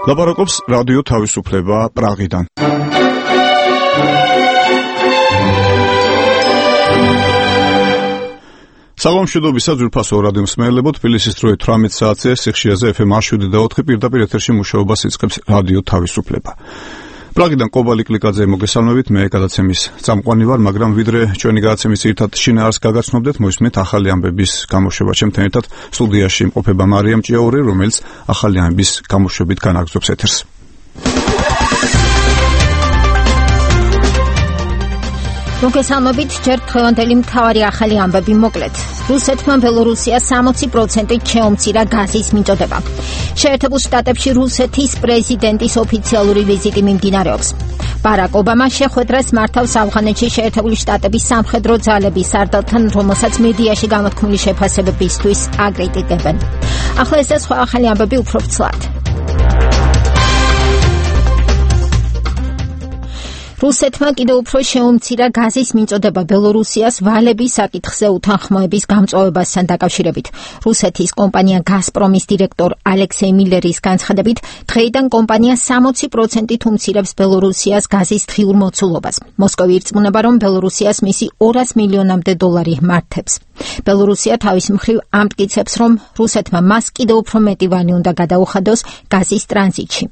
ლაპარაკობს რადიო თავისუფლება პრაღიდან. საღამოშვიდობისა ძვირფასო რადიო მსმენელებო, თბილისის დროით 18 საათზე სიხშირეზე FM 107.4 პირდაპირ ეთერში მუშაობას იწყებს რადიო თავისუფლება. პრაღიდან ყობალი კლიკაძე მოგესალმებით, მე გადაცემის წამყვანი ვარ, მაგრამ ვიდრე ჩვენი გადაცემის ერთად შინაარსს გაგაცნობდეთ, მოისმენთ ახალი ამბების გამოშვება. ჩემთან ერთად სტუდიაში იმყოფება მარიამ ჭიაური, რომელიც ახალი ამბების გამოშვებით განაგრძობს ეთერს. მოგესალმებით, ჯერ დღევანდელი მთავარი ახალი ამბები მოკლედ. რუსეთმა ბელორუსიას 60% შეუმცირა გაზის მიწოდება. შეერთებულ შტატებში რუსეთის პრეზიდენტის ოფიციალური ვიზიტი მიმდინარეობს. ბარაკ ობამა შეხვედრას მართავს ავღანეთში შეერთებული შტატების სამხედრო ძალების სარდალთან, რომელსაც მედიაში გამოთქმული შეფასებებისთვის აკრიტიკებენ. ახლა ეს და სხვა ახალი ამბები უფრო ცვლად. რუსეთმა კიდევ უფრო შეუმცირა გაზის მიწოდება ბელორუსიას ვალების საკითხზე უთანხმოების გამწვავებასთან დაკავშირებით. რუსეთის კომპანია გაზპრომის დირექტორ ალექსეი მილერის განცხადებით, დღეიდან კომპანია 60%-ით უმცირებს ბელორუსიას გაზის დღიურ მოცულობას. მოსკოვი ირწმუნება, რომ ბელორუსიას მისი 200 მილიონამდე დოლარი მართებს. ბელორუსია თავის მხრივ ამტკიცებს, რომ რუსეთმა მას კიდევ უფრო მეტი ვანი უნდა გადაუხადოს გაზის ტრანზიტში.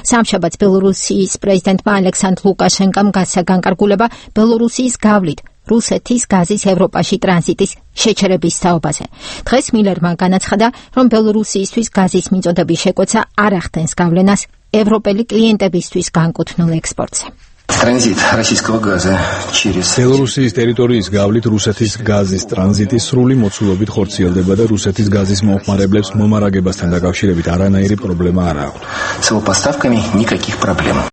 სამშაბათს ბელორუსიის პრეზიდენტმა ალექსანდრ ლუკაშენკომ გასცა განკარგულება ბელორუსიის გავლით რუსეთის გაზის ევროპაში ტრანზიტის შეჩერების თაობაზე. დღეს მილერმა განაცხადა, რომ ბელორუსიისთვის გაზის მიწოდების შეკვეცა არ ახდენს გავლენას ევროპელი კლიენტებისთვის განკუთვნილ ექსპორტზე. Транзит российского газа через ბელორუსიის ტერიტორიის გავლით რუსეთის გაზის ტრანზიტი სრული მოცულობით ხორციელდება და რუსეთის გაზის მომხმარებლებს მომარაგებასთან დაკავშირებით არანაირი პრობლემა არ აქვს. С его поставками никаких проблем.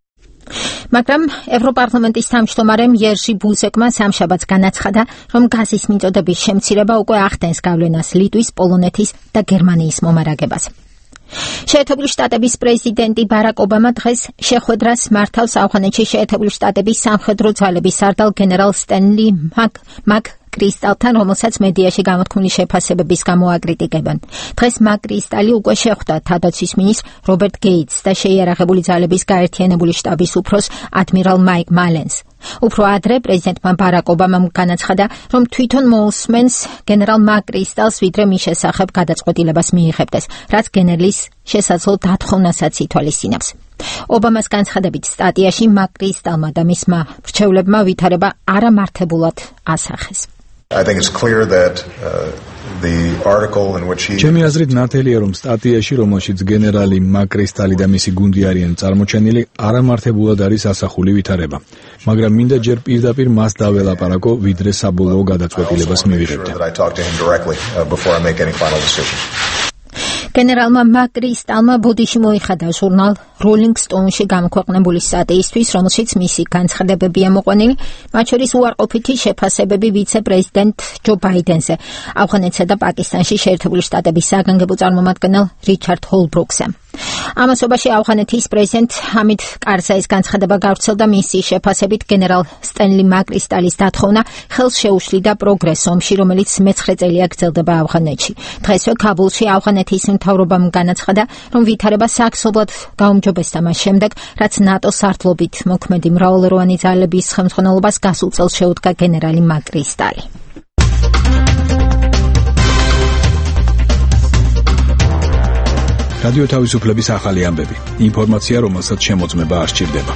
მაგრამ ევროპარლამენტის თავმჯდომარემ იერჟი ბუზეკმა სამშაბათს განაცხადა, რომ გაზის მიწოდების შემცირება უკვე ახდენს გავლენას ლიტვის, პოლონეთის და გერმანიის მომარაგებას. შეერთებული შტატების პრეზიდენტი ბარაკ ობამა დღეს შეხვედრას მართავს ავღანეთში შეერთებული შტატების სამხედრო ძალების სარდალ გენერალ სტენლი მაკ-კრისტალთან, რომელსაც მედიაში გამოთქმული შეფასებების გამო აკრიტიკებენ. დღეს მაკ-კრისტალი უკვე შეხვდა თავდაცვის მინისტრ რობერტ გეიტსს და შეიარაღებული ძალების გაერთიანებული შტაბის უფროს ადმირალ მაიკ მალენს. უფრო ადრე პრეზიდენტმა ბარაკ ობამამ განაცხადა, რომ თვითონ მოусმენს გენერალ მაკ-კრისტალს, ვიდრე მის შესახებ გადაწყვეტილებას მიიღებდეს, რაც გენერლის შესაძლო დათხოვნასაც ითვალისწინებს. ობამას განცხადებით სტატიაში მაკ-კრისტალმა და მისმა მრჩევლებმა ვითარება არამართებულად ასახეს. I think it's clear that the article in which he ჩემი აზრით ნათელია, რომ სტატიაში, რომელშიც გენერალი მაკ-კრისტალი და მისი გუნდი არიან წარმოჩენილი, არამართებულად არის ასახული ვითარება. მაგრამ მინდა ჯერ პირდაპირ მას დაველაპარაკო, ვიდრე საბოლოო გადაწყვეტილებას მივიღებდე. გენერალმა მაკ-კრისტალმა ბოდიში მოიხადა ჟურნალ Rolling Stone-ში გამოქვეყნებული სტატიისთვის, რომელშიც მისი განცხადებებია მოყვანილი, მათ შორის უარყოფითი შეფასებები ვიცე-პრეზიდენტ ჯო ბაიდენზე, ავღანეთსა და პაკისტანში შეერთებული შტატების საგანგებო წარმომადგენელ რიჩარდ ჰოლბრუკზე. ამასობაში ავღანეთის პრეზიდენტ ჰამიდ კარზაის განცხადება გავრცელდა, მისი შეფასებით გენერალ სტენლი მაკ-კრისტალის დათხოვნა ხელს შეუშლიდა პროგრესს ომში, რომელიც მე-9 წელია გრძელდება ავღანეთში. დღესვე ქაბულში ავღანეთის მთავრობამ განაცხადა, რომ ვითარება საქსობლად გაუმჯობესდა მას შემდეგ, რაც ნატოს სარდლობით მოქმედი მრავალეროვანი ძალების ხელმძღვანელობას გასულ წელს შეუდგა გენერალი მაკ-კრისტალი. რადიო თავისუფლების ახალი ამბები. ინფორმაცია, რომელსაც შემოწმება არ სჭირდება.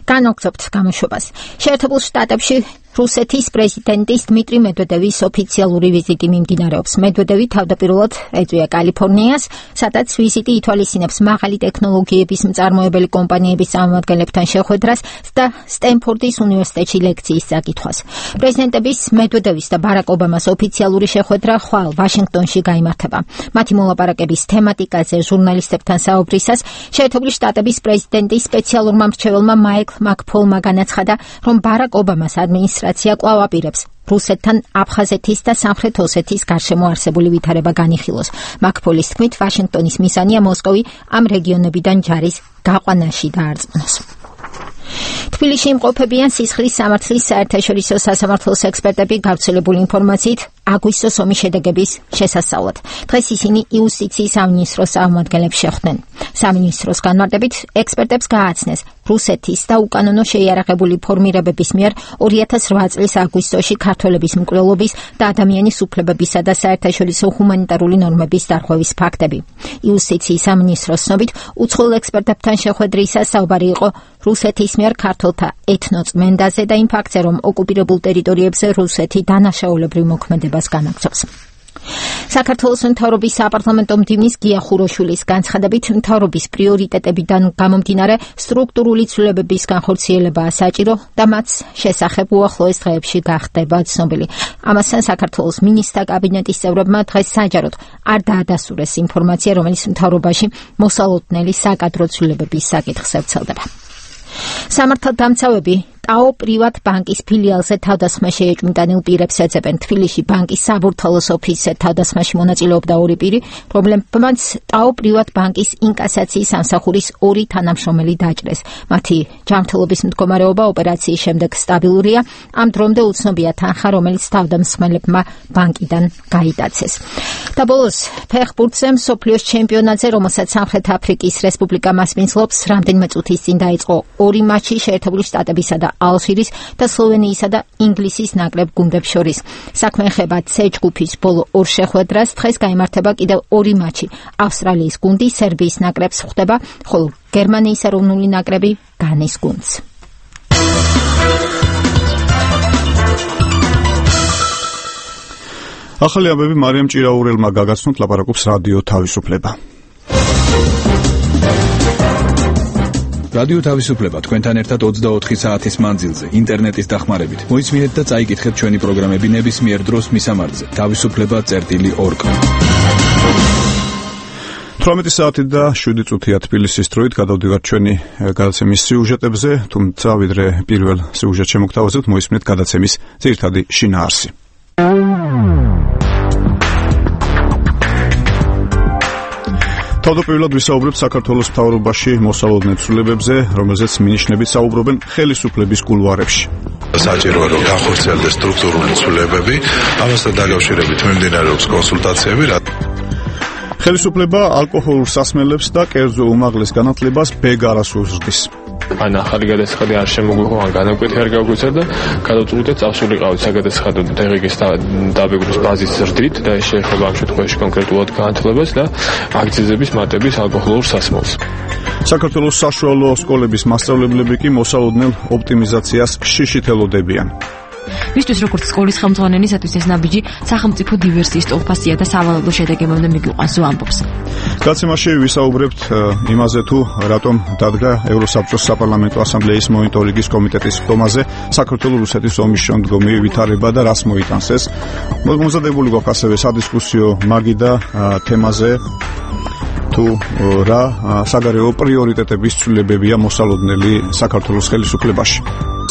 განაგრძობთ გამოშვებას. შეერთებულ შტატებში რუსეთის პრეზიდენტის დმიტრი მედვედევის ოფიციალური ვიზიტი მიმდინარეობს. მედვედევი თავდაპირველად ეწვია კალიფორნიას, სადაც ვიზიტი ითვალისწინებს მაღალი ტექნოლოგიების მწარმოებელი კომპანიების წარმომადგენლებთან შეხვედრას და სტენფორდის უნივერსიტეტში ლექციის წაკითხვას. პრეზიდენტების მედვედევის და ბარაკ ობამას ოფიციალური შეხვედრა ხვალ ვაშინგტონში გაიმართება. მათი მოლაპარაკების თემატიკაზე ჟურნალისტებთან საუბრისას შეერთებული შტატების პრეზიდენტის სპეციალურმა მრჩეველმა მაიკლ მაკფოლმა განაცხადა, რომ ბარაკ ობამას ადმინისტრაცია კვლავ აპირებს რუსეთთან აფხაზეთის და სამხრეთ ოსეთის გარშემო არსებული ვითარება განიხილოს. მაკფოლის თქმით, ვაშინგტონის მისანია მოსკოვი ამ რეგიონებიდან ჯარის გაყვანაში დაარწმუნოს. თბილისში იმყოფებიან სისხლის სამართლის საერთაშორისო სასამართლოს ექსპერტები გავრცელებული ინფორმაციით აგვისტოს ომის შედეგების შესასწავლად. დღეს ისინი იუსტიციის სამინისტროს წარმომადგენლებს შეხვდნენ. სამინისტროს განმარტებით ექსპერტებს გააცნეს, რუსეთის და უკანონო შეიარაღებული ფორმირებების მიერ 2008 წლის აგვისტოში ქართველების მკვლელობის და ადამიანის უფლებებისა და საერთაშორისო ჰუმანიტარული ნორმების დარღვევის ფაქტები. იუსტიციის სამინისტროს ცნობით, უცხოელ ექსპერტებთან შეხვედრისას საუბარი იყო რუსეთის მიერ ქართველთა ეთნოწმენდაზე და იმ ფაქტზე, რომ ოკუპირებულ ტერიტორიებზე რუსეთი დანაშაულებრივ მოქმედებას განაგრძობს. საქართველოს მთავრობის საპარლამენტო მდივნის გია ხუროშვილის განცხადებით, მთავრობის პრიორიტეტებიდან გამომდინარე სტრუქტურული ცვლილებების განხორციელებაა საჭირო და მათ შესახებ უახლოეს დღეებში გახდება ცნობილი. ამასთან საქართველოს მინისტრთა კაბინეტის წევრებმა დღეს საჯაროდ არ დაადასტურეს ინფორმაცია, რომელიც მთავრობაში მოსალოდნელი საკადრო ცვლილებების საკითხზე ვრცელდება. სამართალდამცავები ტაო პრივატ ბანკის ფილიალზე თავდასხმაში ეჭვმიტანილ პირებს ეძებენ. თბილისში ბანკის საბურთალოს ოფისზე თავდასხმაში მონაწილეობდა 2 პირი, რომლებმაც ტაო პრივატ ბანკის ინკასაციის სამსახურის 2 თანამშრომელი დაჭრეს. მათი ჯანმრთელობის მდგომარეობა ოპერაციის შემდეგ სტაბილურია. ამ დრომდე უცნობია თანხა, რომელიც თავდამსხმელებმა ბანკიდან გაიტაცეს. და ბოლოს ფეხბურთზე მსოფლიოს ჩემპიონატზე, რომელსაც სამხრეთ აფრიკის რესპუბლიკა მასპინძლობს, რამდენიმე წუთის წინ დაიწყო 2 მატჩი შეერთებული შტატებისა და ალჟირის და სლოვენიისა და ინგლისის ნაკრებ გუნდებს შორის. საქმე ეხება C ჯგუფის ბოლო 2 შეხვედრას. დღეს გაიმართება კიდევ 2 მატჩი. ავსტრალიის გუნდი სერბიის ნაკრებს ხვდება, ხოლო გერმანიის ეროვნული ნაკრები განის გუნდს. ახალი ამბები მარიამ ჭირაურელმა გაგაცნოთ, ლაპარაკობს რადიო თავისუფლება. რადიო თავისუფლება თქვენთან ერთად 24 საათის მანძილზე ინტერნეტის დახმარებით. მოისმინეთ და წაიკითხეთ ჩვენი პროგრამები ნებისმიერ დროს მისამართზე თავისუფლება.org. 18 საათი და 7 წუთია თბილისის დროით გადავდივართ ჩვენი გადაცემის სიუჟეტებზე, თუმცა ვიდრე პირველ სიუჟეტს შემოგთავაზებთ, მოისმინეთ გადაცემის ძირითადი შინაარსი. თავდაპირველად ვისაუბრებთ საქართველოს მთავრობაში მოსალოდნელ ცვლილებებზე, რომელზეც მინიშნებით საუბრობენ ხელისუფლების კულუარებში. საჭიროა რომ განხორციელდეს სტრუქტურული ცვლილებები, ამასთან დაკავშირებით მიმდინარეობს კონსულტაციები. ხელისუფლება ალკოჰოლურ სასმელებს და კერძო უმაღლეს განათლებას ბეგ არასდროს ზრდის. ან ახალი გადასახადი არ შემოგვიღო, ან განაკვეთი არ გაგვეცა და გადავწყვიტეთ წავსულიყავით საგადასახადო დაღიგის დაბეგვის ბაზის ზრდით და ეს შეეხება ამ შემთხვევაში კონკრეტულად განათლებას და აქციზების მატების ალკოჰოლურ სასმელს. საქართველოს საშუალო სკოლების მასწავლებლები კი მოსალოდნელ ოპტიმიზაციას შიშით ელოდებიან. მისთვის როგორც სკოლის ხელმძღვანელისათვის ეს ნაბიჯი სახელმწიფო დივერსიის ტოლფასია და სავალალო შედეგებამდე მიგვიყვანს, ამბობს. გაცემაში ვისაუბრებთ იმაზე, თუ რატომ დადგა ევროსაბჭოს საპარლამენტო ასამბლეის მონიტორინგის კომიტეტის ხდომაზე საქართველოს რუსეთის ომის შემდგომი ვითარება და რას მოიტანს ეს. მომზადებული გვაქვს ასევე სადისკუსიო მაგიდა თემაზე, თუ რა საგარეო პრიორიტეტების ცვლილებებია მოსალოდნელი საქართველოს ხელისუფლებაში.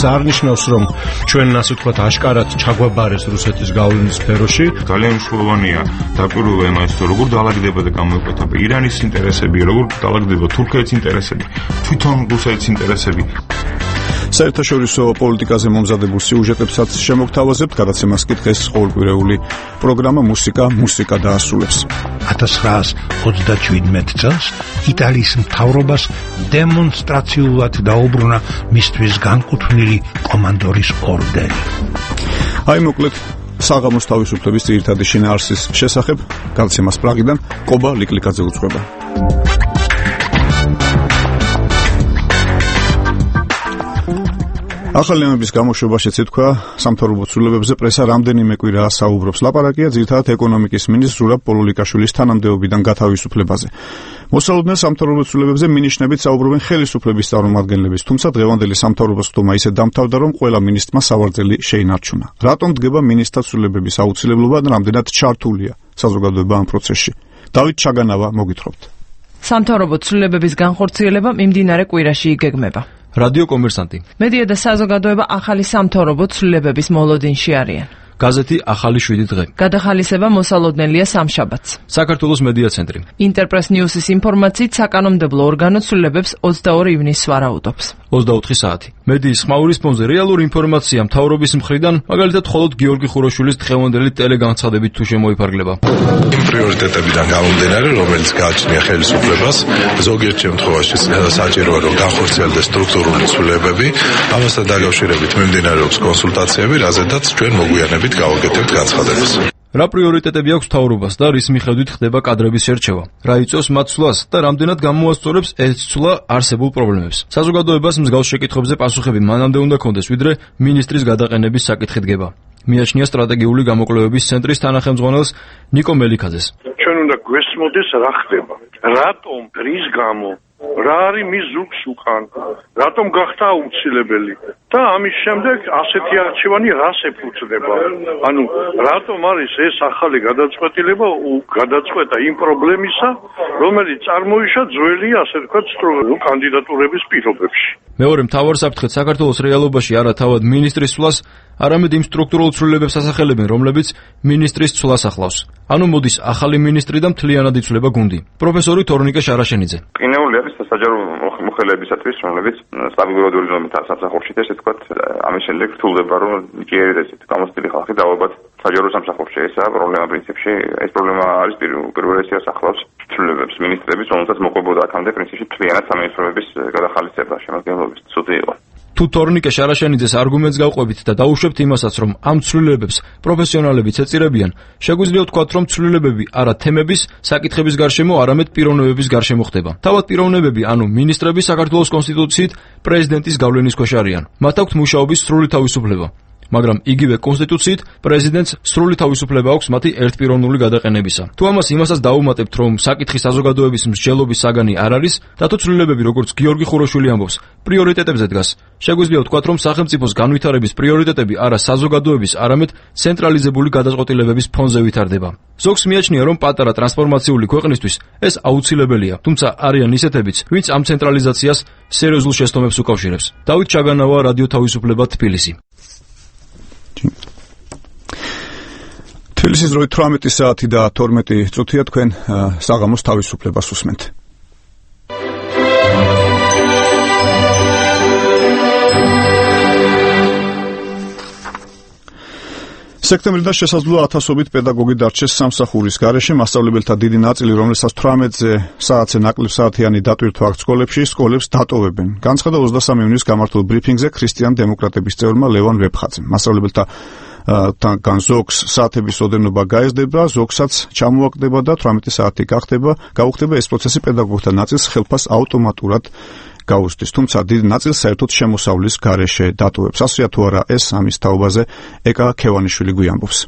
არნიშნავს, რომ ჩვენ ასე ვთქვათ აშკარად ჩაგვაბარეს რუსეთის გავლენის სფეროში. ძალიან მნიშვნელოვანია დაკვირვება იმას, თუ როგორ დაალაგდება და გამოიკვეთა ირანის ინტერესები, როგორ დაალაგდება თურქეთის ინტერესები, თვითონ რუსეთის ინტერესები. საერთაშორისო პოლიტიკაზე მომზადებულ სიუჟეტებსაც შემოგთავაზებთ, გადაცემას კი დღეს ყოველკვირეული პროგრამა მუსიკა დაასრულებს. 1927 წელს იტალიის მთავრობას დემონსტრაციულად დაუბრუნა მისთვის განკუთვნილი კომანდორის ორდენი. აი მოკლედ საღამოს თავისუფლების ძირითადი შინაარსის შესახებ გადაცემას პრაღიდან კობა ლიკლიკაძე უძღვება. ახალი ამბების გამოშვებაშიც ითქვა, სამთავრობო ცვლილებებზე პრესა რამდენიმე კვირაა საუბრობს. ლაპარაკია ძირითადად ეკონომიკის მინისტრ ზურაბ პოლულიკაშვილის თანამდებობიდან გათავისუფლებაზე. მოსალოდნელ სამთავრობო ცვლილებებზე მინიშნებით საუბრობენ ხელისუფლების წარმომადგენლები, თუმცა დღევანდელი სამთავრობოს ხდომა ისე დამთავრდა, რომ ყველა მინისტრმა სავარძელი შეინარჩუნა. რატომ დგება მინისტრთა ცვლილებების აუცილებლობა და რამდენად ჩართულია საზოგადოება ამ პროცესში? დავით ჩაგანავა მოგითხრობთ. სამთავრობო ცვლილებების განხორციელება მიმდინარე კვირაში იგეგმება. რადიო კომერსანტი. მედია და საზოგადოება ახალი სამთავრობო ცვლილებების მოლოდინში არიან. გაზეთი ახალი 7 დღე. გადახალისება მოსალოდნელია სამშაბათს. საქართველოს მედია ცენტრი. ინტერპრეს ნიუსის ინფორმაციით საკანონმდებლო ორგანო ცვლილებებს 22 ივნისს ვარაუდობს. 24 საათი. მედიის ხმაურის ფონზე რეალური ინფორმაცია მთავრობის მხრიდან, მაგალითად, მხოლოდ გიორგი ხუროშვილის დღევანდელი ტელეგანცხადებით თუ შემოიფარგლება. იმ პრიორიტეტებიდან გამომდინარე, რომელიც გააჩნია ხელისუფლებას, ზოგიერთ შემთხვევაში საჭიროა რომ განხორციელდეს სტრუქტურული ცვლილებები, ამასთან დაკავშირებით მიმდინარეობს კონსულტაციები, რაზედაც ჩვენ მოგვიანებით გავაკეთებთ განცხადებას. რა პრიორიტეტები აქვს მთავრობას და რის მიხედვით ხდება კადრების შერჩევა? რა იწვევს მათ ცვლას და რამდენად გამოასწორებს ეს ცვლა არსებულ პრობლემებს? საზოგადოებას მსგავს შეკითხვებზე პასუხები მანამდე უნდა კონდეს, ვიდრე მინისტრის გადაყენების საკითხი დგება. მიაჩნია სტრატეგიული გამოკვლევების ცენტრის თანახმწვანელს ნიკო მელიქაძეს. ჩვენ უნდა გვესმოდეს რა ხდება. რატომ, რის გამო, რა არის მის ზუგს უკან, რატომ გახდა აუცილებელი და ამის შემდეგ ასეთი არჩევანი რას ეფუძნება. ანუ რატომ არის ეს ახალი გადაწყვეტილება გადაწყვეტა იმ პრობლემისა, რომელიც წარმოიშვა ძველი, ასე ვთქვათ, კანდიდატურების პირობებში. მეორე მთავარ საფრთხედ საქართველოს რეალობაში არა თავად მინისტრის ცვლას, არამედ იმ სტრუქტურულ ცვლილებებს ასახელებენ, რომლებიც მინისტრის ცვლას ახლავს. ანუ მოდის ახალი მინისტრი და მთლიანად იცვლება გუნდი. პროფესორი თორნიკე შარაშენიძე. ყინეული არის საჯარო მოხელეებისათვის, რომლებიც სტაბილურადული ზომით სამსახურში და ესე ვთქვათ, ამის შემდეგ რთულდება, რომ ჯერჯერობით გამოცდილი ხალხი დავაბათ საჯარო სამსახურში. ესაა პრობლემა პრინციპში. ეს პრობლემა არის პირველ რიგში ახლავს ცვლილებებს. მინისტრების, რომელსაც მოყვებოდა აქამდე პრინციპში მთლიანად სამინისტროების გადახალისება შემადგენლობის ცუდი იყო. თუ თორნიკე შარაშენიძეს არგუმენტს გავყვებით და დაუშვებთ იმასაც, რომ ამ ცვლილებებს პროფესიონალებიც ეწირებიან, შეგვიძლია ვთქვათ, რომ ცვლილებები არა თემების, საკითხების გარშემო, არამედ პიროვნებების გარშემო ხდება. თავად პიროვნებები, ანუ მინისტრები საქართველოს კონსტიტუციით პრეზიდენტის გავლენის ქვეშ არიან. მათ აქვთ მუშაობის სრული თავისუფლება. მაგრამ იგივე კონსტიტუციით პრეზიდენტს სრული თავისუფლება აქვს მათი ერთპიროვნული გადაყენებისა. თუ ამას იმასაც დაუმატებთ, რომ საკითხი საზოგადოების მსჯელობის საგანი არ არის, და თუ ცვლილებები, როგორც გიორგი ხუროშვილი ამბობს, პრიორიტეტებზე დგას, შეგვიძლია ვთქვათ, რომ სახელმწიფოს განვითარების პრიორიტეტები არა საზოგადოების, არამედ ცენტრალიზებული გადაწყვეტილებების ფონზე ვითარდება. ზოგს მიაჩნია, რომ პატარა ტრანსფორმაციული ქვეყნისთვის ეს აუცილებელია, თუმცა არიან ისეთებიც, ვინც ამ ცენტრალიზაციას სერიოზულ შეცდომებს უკავშირებს. დავით ჩაგანავა, რადიო თავისუფლება, თბილისი. თბილისის დროით 18 საათი და 12 წუთია, თქვენ საღამოს თავისუფლებას უსმენთ. სექტემბრიდან შესაძლოა ათასობით პედაგოგი დარჩეს სამსახურის გარეშე, მასწავლებელთა დიდი ნაწილი, რომლებსაც 18 საათზე ნაკლებ საათიანი დატვირთვა აქვს სკოლებში, სკოლებს დატოვებენ. განცხადა 23 ივნისს გამართულ ბრიფინგზე ქრისტიან დემოკრატების წევრმა ლევან ვეფხაძემ. მასწავლებელთა თან ზოგს საათების ოდენობა გაეზდება, ზოგსაც ჩამოაგდება და 18 საათი გაუხდება ეს პროცესი პედაგოგთა ნაწილს ხელფას ავტომატურად გაუსდის, თუმცა დიდი ნაწილს საერთოდ შემოსავლის გარეშე დატოვებს. ასეა თუ არა ეს ამის თაობაზე ეკა ქევანიშვილი გვიამბობს.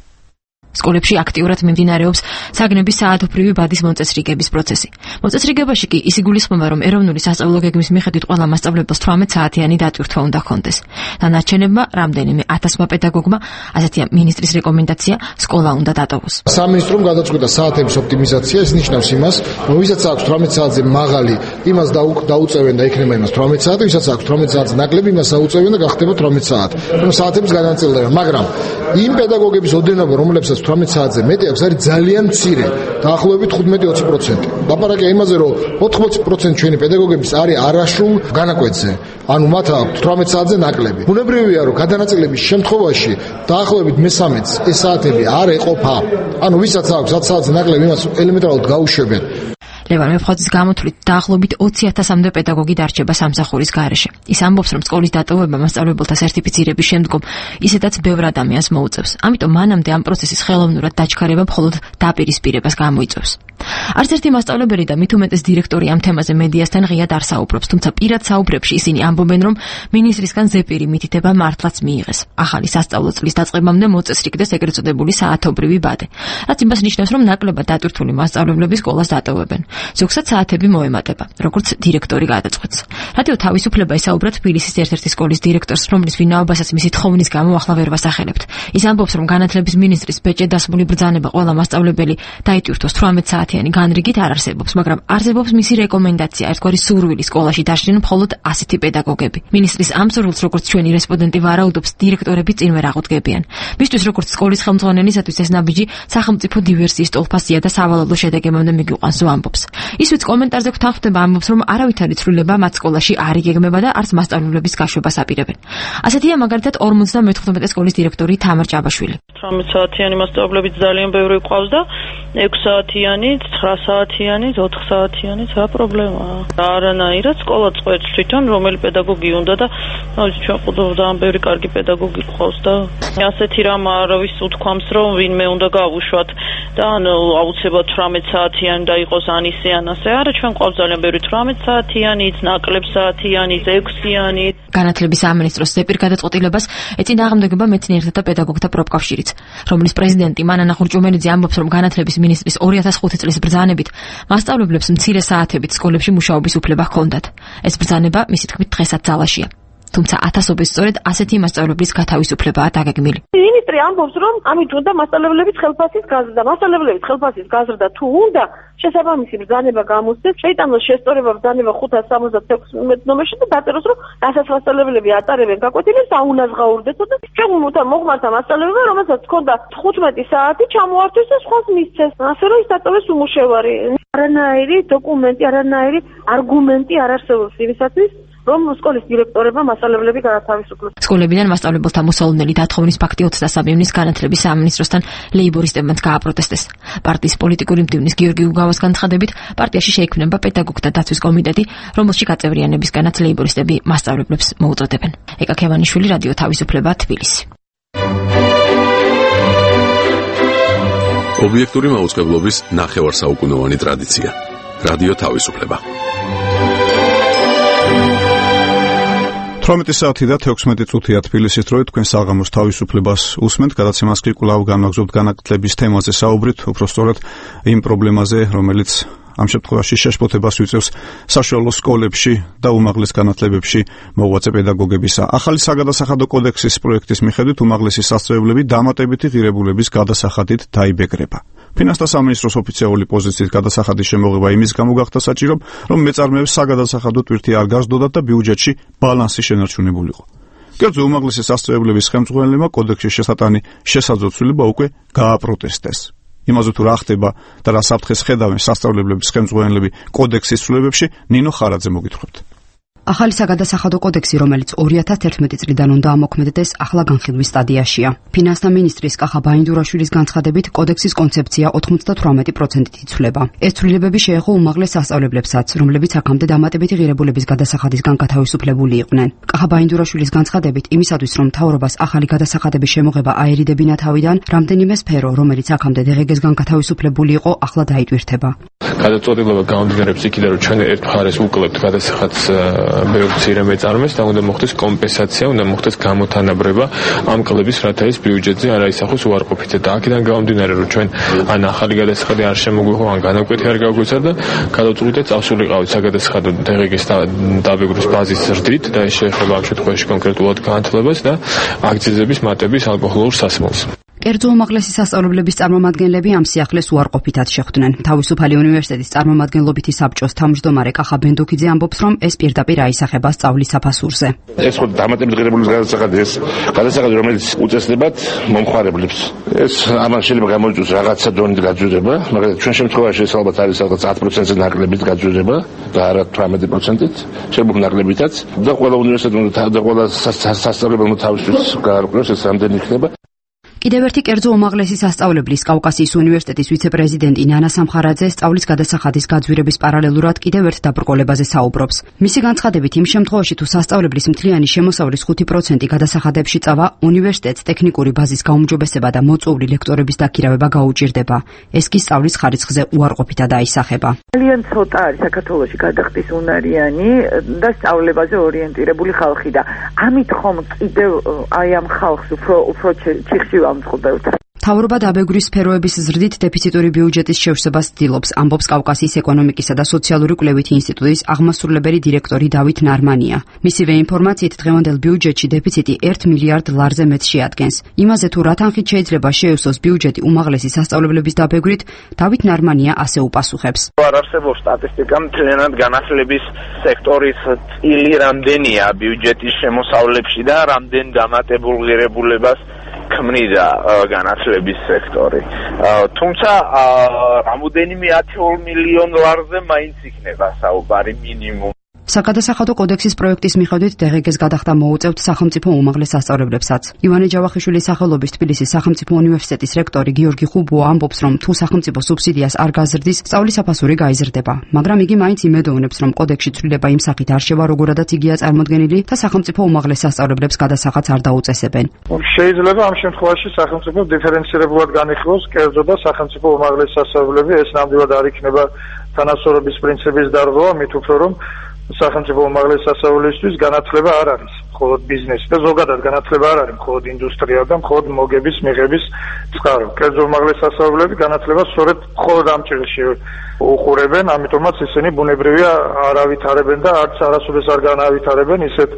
სკოლებში აქტიურად მიმდინარეობს საგნების საათობრივი ბადის მოწესრიგების პროცესი. მოწესრიგებაში კი ის იგულისხმება, რომ ეროვნული სასწავლო გეგმის მიხედვით ყველა მასწავლებელს 18 საათიანი დატვირთვა უნდა ჰქონდეს. დანარჩენებმა რამდენიმე 1000 პედაგოგმა, ასეთია მინისტრის რეკომენდაცია, სკოლა უნდა დატოვოს. სამინისტრომ გადაწყვეტა საათების ოპტიმიზაცია, ეს ნიშნავს იმას, რომ ვისაც აქვს 18 საათზე მაღალი, იმას დაუწევენ და იქნება იმას 18 საათი, ვისაც აქვს 18 საათზე ნაკლები, იმას აუწევენ და გახდება 18 საათი. რომ საათების განაწილდება, მაგრამ იმ პედაგოგების ოდენობა, რომლებსაც 18 საათზე მეტი აქვს, არის ძალიან მცირე, დაახლოებით 15-20%. ლაპარაკია იმაზე, რომ 80% ჩვენი პედაგოგების არის არასრულ განაკვეთზე. ანუ მათ აქვს 18 საათზე ნაკლები. ბუნებრივია, რომ გადანაწილების შემთხვევაში დაახლოებით მე-13-ს ეს საათები არ ეყოფა. ანუ ვისაც აქვს 10 საათზე ნაკლები, იმას ელემენტარულად გაუშვებენ. ლევან ვეფხაძის გამოთვლით დაახლოებით 20,000-მდე პედაგოგი დარჩება სამსახურის გარეშე. ის ამბობს, რომ სკოლის დატოვება მასწავლებელთა სერტიფიცირების შემდგომ ისედაც ბევრ ადამიანს მოუწევს. ამიტომ მანამდე ამ პროცესის ხელოვნურად დაჩქარება მხოლოდ დაპირისპირებას გამოიწვევს. არც ერთი მასწავლებელი და მით უმეტეს დირექტორი ამ თემაზე მედიასთან ღიად არ საუბრობს, თუმცა პირად საუბრებში ისინი ამბობენ, რომ მინისტრისგან ზეპირი მითითება მართლაც მიიღეს. ახალი სასწავლო წლის დაწყებამდე მოწესრიგდეს ეგრეთ წოდებული საათობრივი ბადე. რაც იმას ნიშნავს, რომ ნაკლებად დატვირთული მასწავლებლები სკოლას დატოვებენ. ზოგსაც საათები მოემატება, როგორც დირექტორი გადაწყვეტს. რადიო თავისუფლება ესაუბრა თბილისის ერთ-ერთი სკოლის დირექტორს, რომლის ვინაობასაც მისი თხოვნის გამო ახლა ვერ ვასახელებთ. ის ამბობს, რომ განათლების მინისტრის ბეჭედ დასმული ბრძანება ყველა მასწავლებელი დაიტვირთოს 18 საათიანი განრიგით არ არსებობს, მაგრამ არსებობს მისი რეკომენდაცია, ერთგვარი სურვილი სკოლაში დაშლიდნენ მხოლოდ 100 პედაგოგები. მინისტრის ამ სურვილს, როგორც ჩვენი რესპონდენტი ვარაუდობს, დირექტორები წინ ვერ აღუდგებიან. მისთვის, როგორც სკოლის ხელმძღვანელისათვის ეს ნაბიჯი სახელმწიფო დივერსიის ტოლფასია და სავალალო შედეგებამდე მიგიყვანს ამბობს. ის ვიც კომენტარზე გვთანხმდება ამბობს, რომ არავითარი ცვლილება მათ სკოლაში არ იგეგმება და არც მასწავლებლების გაშვებას აპირებენ. ასეთია მაგალითად 58 სკოლის დირექტორი თამარ ჭაბაშვილი. 18 საათიანი მასწავლებლები ძალიან ბევრი ყავს და 6 საათიანი, 9 საათიანი, 4 საათიანი რა პრობლემაა. არანაირად სკოლა წყვეტს თვითონ რომელი პედაგოგი უნდა და ჩვენ ძალიან ბევრი კარგი პედაგოგი ყავს და ასეთი რამ არავის უთქვამს რომ ვინმე უნდა გავუშვათ და აუცილებლად 18 საათიანი და იყოს ან ისე ან ასე. არა, ჩვენ ყავს ძალიან ბევრი 18 საათიანიც, ნაკლებ საათიანიც, 6-იანი. განათლების სამინისტროს ზეპირ გადაწყვეტილებას ეწინააღმდეგება მეცნიერთა და პედაგოგთა პროფკავშირიც, რომლის პრეზიდენტი მანანა ხურჭუმელიძე ამბობს, რომ განათლების მინისტრის 2005 წლის ბრძანებით მასწავლებლებს მცირე საათებით სკოლებში მუშაობის უფლება ჰქონდათ. ეს ბრძანება მისი თქმით დღესაც ძალაშია. თუმცა ათასობით სწორედ ასეთი მასწავლებლის გათავისუფლებაა დაგეგმილი. მინისტრი ამბობს, რომ ამით უნდა მასწავლებლების ხელფასის გაზრდა. მასწავლებლების ხელფასის გაზრდა თუ უნდა, შესაბამისი ბრძანება გამოსცეს, შეიტანოს შესწორება ბრძანება 576 ნომერში და დაწეროს, რომ რასაც მასწავლებლები ატარებენ გაკვეთილებს, აუნაზღაურდეს და ჩვენ მოხმართა მასწავლებელმა, რომელსაც ჰქონდა 15 საათი ჩამოართვეს და სხვას მისცეს. ასე რომ ის დაწოვეს უმუშევარი. არანაირი დოკუმენტი, არანაირი არგუმენტი არ არსებობს იმისათვის, რომ სკოლის დირექტორებმა მასწავლებლები გაათავისუფლოს. სკოლებიდან მასწავლებელთა მოსალოდნელი დათხოვნის ფაქტი 23 ივნის განათლების სამინისტროსთან ლეიბორისტებმაც გააპროტესტეს. პარტიის პოლიტიკური მდივნის გიორგი უგავას განცხადებით, პარტიაში შეიქმნება პედაგოგთა დაცვის კომიტეტი, რომელში გაწევრიანებისგანაც ლეიბორისტები მასწავლებლებს მოუწოდებენ. ეკა ქევანიშვილი, რადიო თავისუფლება, თბილისი. ობიექტური მაუწყებლობის ნახევარსაუკუნოვანი ტრადიცია. რადიო თავისუფლება. 18 საათი და 16 წუთია თბილისის დროით, თქვენ საღამოს თავისუფლებას უსმენთ, გადაცემას კი კვლავ განვაგრძობთ განათლების თემაზე საუბრით, უბრალოდ იმ პრობლემაზე, რომელიც ამ შემთხვევაში შეშფოთებას ვიწევს საშუალო სკოლებში და უმაღლეს განათლებებში მოღვაწე პედაგოგებისა. ახალი საგადასახადო კოდექსის პროექტის მიხედვით უმაღლესი სასწავლებლები დამატებითი ღირებულების გადასახადით დაიბეგრება. ფინანსთა სამინისტროს ოფიციალური პოზიციით გადასახადის შემოღება იმის გამო გახდა საჭირო, რომ მეწარმეებს საგადასახადო ტვირთი არ გასდოდათ და ბიუჯეტში ბალანსი შენარჩუნებულიყო. კერძო უმაღლესი სასწავლებლების ხელმძღვანელებმა კოდექსის შესატანი შესაძლებლობა უკვე გააპროტესტეს. იმაზე თუ რა ხდება და რა საფრთხეს ხედავენ სასწავლებლების ხელმძღვანელები კოდექსის ცვლილებებში, ნინო ხარაძე მოგითხრობთ. ახალი საგადასახადო კოდექსი, რომელიც 2011 წლიდან უნდა ამოქმედდეს, ახლა განხილვის სტადიაშია. ფინანსთა მინისტრის კახა ბაინდურაშვილის განცხადებით, კოდექსის კონცეფცია 98%-ით იცვლება. ეს ცვლილებები შეეხო უმაღლეს სასწავლებლებსაც, რომლებიც აქამდე დამატებითი ღირებულების გადასახადისგან გათავისუფლებული იყვნენ. კახა ბაინდურაშვილის განცხადებით, იმისათვის, რომ მთავრობას ახალი გადასახადების შემოღება აერიდებინა თავიდან, რამდენიმე სფერო, რომელიც აქამდე დღეგესგან გათავისუფლებული იყო, ახლა დაიტვირთება. გადაწყვეტილება გამომდინარეობს იქიდან, რომ ჩვენ ერთ მხარეს უკლებთ გადასახადს ბევრ მცირე მეწარმეს და უნდა მოხდეს კომპენსაცია, უნდა მოხდეს გამოთანაბრება ამ კლების, რათა ის ბიუჯეტზე არ აისახოს უარყოფითად. და აქედან გამომდინარე, რომ ჩვენ ან ახალი გადასახადი არ შემოგვიღო, ან განაკვეთი არ გაგვეცა და გადავწყვიტეთ წავსულიყავით საგადასახადო დღეგის დაბეგრვის ბაზის ზრდით და ეს შეეხება ამ შემთხვევაში კონკრეტულად განათლებას და აქციზების მატების ალკოჰოლურ სასმელს. კერძო უმაღლესი სასწავლებლების წარმომადგენლები ამ სიახლეს უარყოფითად შეხვდნენ. თავისუფალი უნივერსიტეტის წარმომადგენლობითი საბჭოს თავმჯდომარე კახა ბენდუქიძე ამბობს, რომ ეს პირდაპირ აისახება სწავლის საფასურზე. ეს ხო დამატებითი ღირებულების გადასახადი, ეს გადასახადი, რომელიც უწესდებათ მომხმარებლებს. ეს ამან შეიძლება გამოიწვიოს რაღაცა დონით გაძვირება, მაგრამ ჩვენ შემთხვევაში ეს ალბათ არის რაღაც 10%-ზე ნაკლებით გაძვირება და არა 18%-ით, შეიძლება ნაკლებითაც და ყველა უნივერსიტეტი და ყველა სასწავლებელმა თავისთვის გაარკვევს ეს რამდენი იქნება. კიდევ ერთი კერძო უმაღლესი სასწავლებლის კავკასიის უნივერსიტეტის ვიცე-პრეზიდენტი ნანა სამხარაძე სწავლის გადასახადის გაძვირების პარალელურად კიდევ ერთ დაბრკოლებაზე საუბრობს. მისი განცხადებით, იმ შემთხვევაში თუ სასწავლებლის მთლიანი შემოსავლის 5% გადასახადებში წავა, უნივერსიტეტს ტექნიკური ბაზის გაუმჯობესება და მოწვეული ლექტორების დაქირავება გაუჭირდება. ეს კი სწავლის ხარისხზე უარყოფითად აისახება. ძალიან ცოტა არის საქართველოში გადახდის უნარიანი და სწავლებაზე ორიენტირებული ხალხი და ამით ხომ კიდევ აი ამ ხალხს უფრო ჩიხში მთავრობა დაბეგვრის სფეროების ზრდით დეფიციტური ბიუჯეტის შევსებას ცდილობს, ამბობს კავკასიის ეკონომიკისა და სოციალური კვლევითი ინსტიტუტის აღმასრულებელი დირექტორი დავით ნარმანია. მისივე ინფორმაციით დღევანდელ ბიუჯეტში დეფიციტი 1 მილიარდ ლარზე მეტს შეადგენს. იმაზე თუ რა თანხით შეიძლება შეივსოს ბიუჯეტი უმაღლესი სასწავლებლების დაბეგვრით, დავით ნარმანია ასე უპასუხებს. არ არსებობს სტატისტიკა მთლიანად განათლების სექტორის წილი რამდენია ბიუჯეტის შემოსავლებში და რამდენ დამატებულ ღირებულებას ქმნიდა განათლების სექტორი. თუმცა რამოდენიმე 10 მილიონ ლარზე მაინც იქნება საუბარი მინიმუმ. საგადასახადო კოდექსის პროექტის მიხედვით დღეგეს გადახდა მოუწევთ სახელმწიფო უმაღლეს სასწავლებლებსაც. ივანე ჯავახიშვილის სახელობის თბილისის სახელმწიფო უნივერსიტეტის რექტორი გიორგი ხუბოა ამბობს, რომ თუ სახელმწიფო სუბსიდიას არ გაზრდის, სწავლის საფასური გაიზრდება. მაგრამ იგი მაინც იმედოვნებს, რომ კოდექსში ცვლილება იმ სახით არ შევა, როგორადაც იგია წარმოდგენილი და სახელმწიფო უმაღლეს სასწავლებლებს გადასახადს არ დაუწესებენ. შეიძლება ამ შემთხვევაში სახელმწიფო დიფერენცირებულად განიხილოს კერძო და სახელმწიფო უმაღლეს სასწავლებლები, ეს ნამდვილად არ იქნება თანასწორობის პრინციპის დარღვევა, მით უფრო რომ სახელმწიფო უმაღლეს სასწავლებლისთვის განათლება არ არის მხოლოდ ბიზნესი და ზოგადად განათლება არ არის მხოლოდ ინდუსტრია და მხოლოდ მოგების მიღების წყარო. კერძო უმაღლეს სასწავლებლები განათლებას სწორედ მხოლოდ ამ ჭრილში უყურებენ, ამიტომაც ისინი ბუნებრივია არ ავითარებენ და არც არასოდეს არ განავითარებენ ისეთ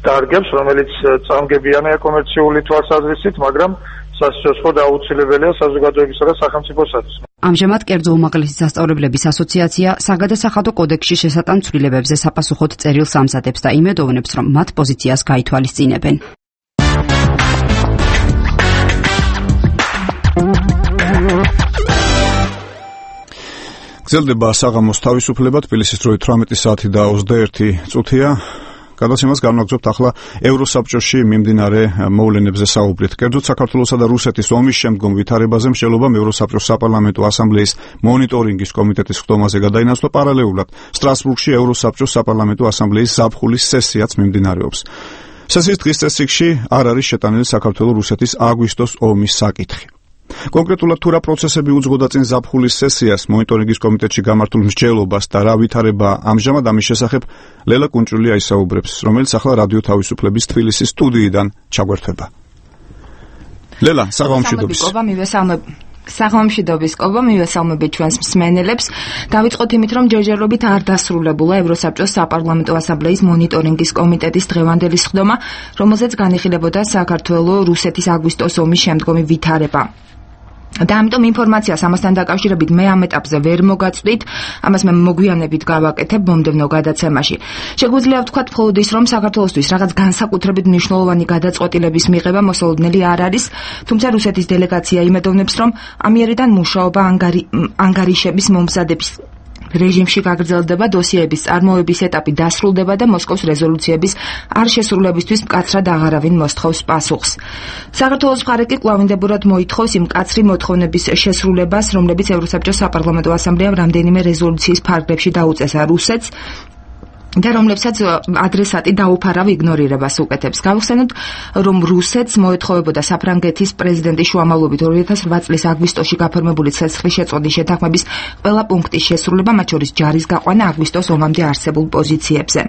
დარგებს, რომელიც წამგებიანია კომერციული თვალსაზრისით, მაგრამ სასიცოცხლო და აუცილებელია საზოგადოებისა და სახელმწიფოსათვის. ამჟამად კერძო უმაღლესი სასწავლებლების ასოციაცია საგადასახადო კოდექსში შესატან ცვლილებებზე საპასუხოდ წერილს ამზადებს და იმედოვნებს, რომ მათ პოზიციას გაითვალისწინებენ. გრძელდება საღამოს თავისუფლება, თბილისის დროით 18 საათი და 21 წუთია. გადაცემას განვაგრძობთ ახლა ევროსაბჭოში მიმდინარე მოვლენებზე საუბრით. კერძოდ საქართველოსა და რუსეთის ომის შემდგომ ვითარებაზე მსჯელობამ ევროსაბჭოს საპარლამენტო ასამბლეის მონიტორინგის კომიტეტის ხდომაზე გადაინაცვლა. პარალელურად სტრასბურგში ევროსაბჭოს საპარლამენტო ასამბლეის ზაფხულის სესიაც მიმდინარეობს. სესიის დღის წესრიგში არ არის შეტანილი საქართველო-რუსეთის აგვისტოს ომის საკითხი. კონკრეტულად თუ რა პროცესები უძღვოდა წინ ზაფხულის სესიას, მონიტორინგის კომიტეტში გამართულ მსჯელობას და რა ვითარება ამჟამად ამის შესახებ ლელა კუნჭული აისაუბრებს, რომელიც ახლა რადიო თავისუფლების თბილისის სტუდიიდან ჩაგვერთვება. ლელა, საღამომშვიდობის. საღამომშვიდობის კობა, მივესალმებით ჩვენს მსმენელებს. დავიწყოთ იმით, რომ ჯერჯერობით არ დასრულებულა ევროსაბჭოს საპარლამენტო ასამბლეის მონიტორინგის კომიტეტის დღევანდელი სხდომა, რომელზეც განიხილებოდა საქართველო-რუსეთის აგვისტოს ომის შემდგომი ვითარება. და ამიტომ ინფორმაციას ამასთან დაკავშირებით მე ამ ეტაპზე ვერ მოგაწვდით, ამას მე მოგვიანებით გავაკეთებ მომდევნო გადაცემაში. შეგვიძლია ვთქვათ მხოლოდ ის, რომ საქართველოსთვის რაღაც განსაკუთრებით მნიშვნელოვანი გადაწყვეტილების მიღება მოსალოდნელი არ არის, თუმცა რუსეთის დელეგაცია იმედოვნებს, რომ ამიერიდან მუშაობა ანგარიშების მომზადების რეჟიმში გაგრძელდება, დოსიეების წარმოების ეტაპი დასრულდება და მოსკოვის რეზოლუციების არ შესრულებისთვის მკაცრად აღარავინ მოსთხოვს პასუხს. საქართველოს მხარე კი კვლავინდებურად მოითხოვს იმ მკაცრი მოთხოვნების შესრულებას, რომლებიც ევროსაბჭოს საპარლამენტო ასამბლეამ რამდენიმე რეზოლუციის ფარგლებში დაუწესა რუსეთს და რომლებსაც ადრესატი დაუფარავ იგნორირებას უკეთებს. გავხსენოთ, რომ რუსეთს მოეთხოვებოდა საფრანგეთის პრეზიდენტის შუამავლობით 2008 წლის აგვისტოში გაფორმებული ცეცხლის შეწყვეტის შეთანხმების ყველა პუნქტის შესრულება, მათ შორის ჯარის გაყვანა აგვისტოს ომამდე არსებულ პოზიციებზე.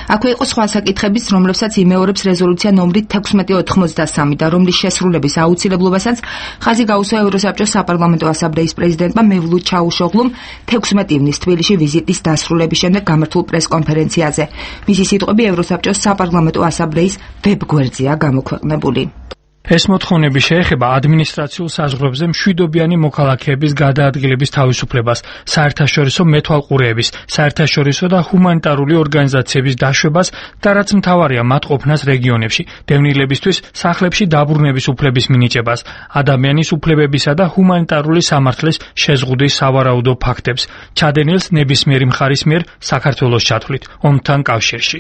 აქვე იყო სხვა საკითხებიც, რომლებსაც იმეორებს რეზოლუცია ნომრით 1683 და რომლის შესრულების აუცილებლობასაც ხაზი გაუსვა ევროსაბჭოს საპარლამენტო ასამბლეის პრეზიდენტმა მევლუდ ჩაუშოღლუმ 16 ივნისს თბილისში ვიზიტის დასრულების შემდეგ გამართულ პრესკონფერენციაზე. მისი სიტყვები ევროსაბჭოს საპარლამენტო ასამბლეის ვებგვერდზეა გამოქვეყნებული. ეს მოთხოვნები შეეხება ადმინისტრაციულ საზღვრებზე მშვიდობიანი მოქალაქეების გადაადგილების თავისუფლებას, საერთაშორისო მეთვალყურეების, საერთაშორისო და ჰუმანიტარული ორგანიზაციების დაშვებას და რაც მთავარია მათ ყოფნას რეგიონებში, დევნილებისთვის სახლებში დაბრუნების უფლების მინიჭებას, ადამიანის უფლებებისა და ჰუმანიტარული სამართლის შეზღუდვის სავარაუდო ფაქტებს, ჩადენილს ნებისმიერი მხარის მიერ საქართველოს ჩათვლით ომთან კავშირში.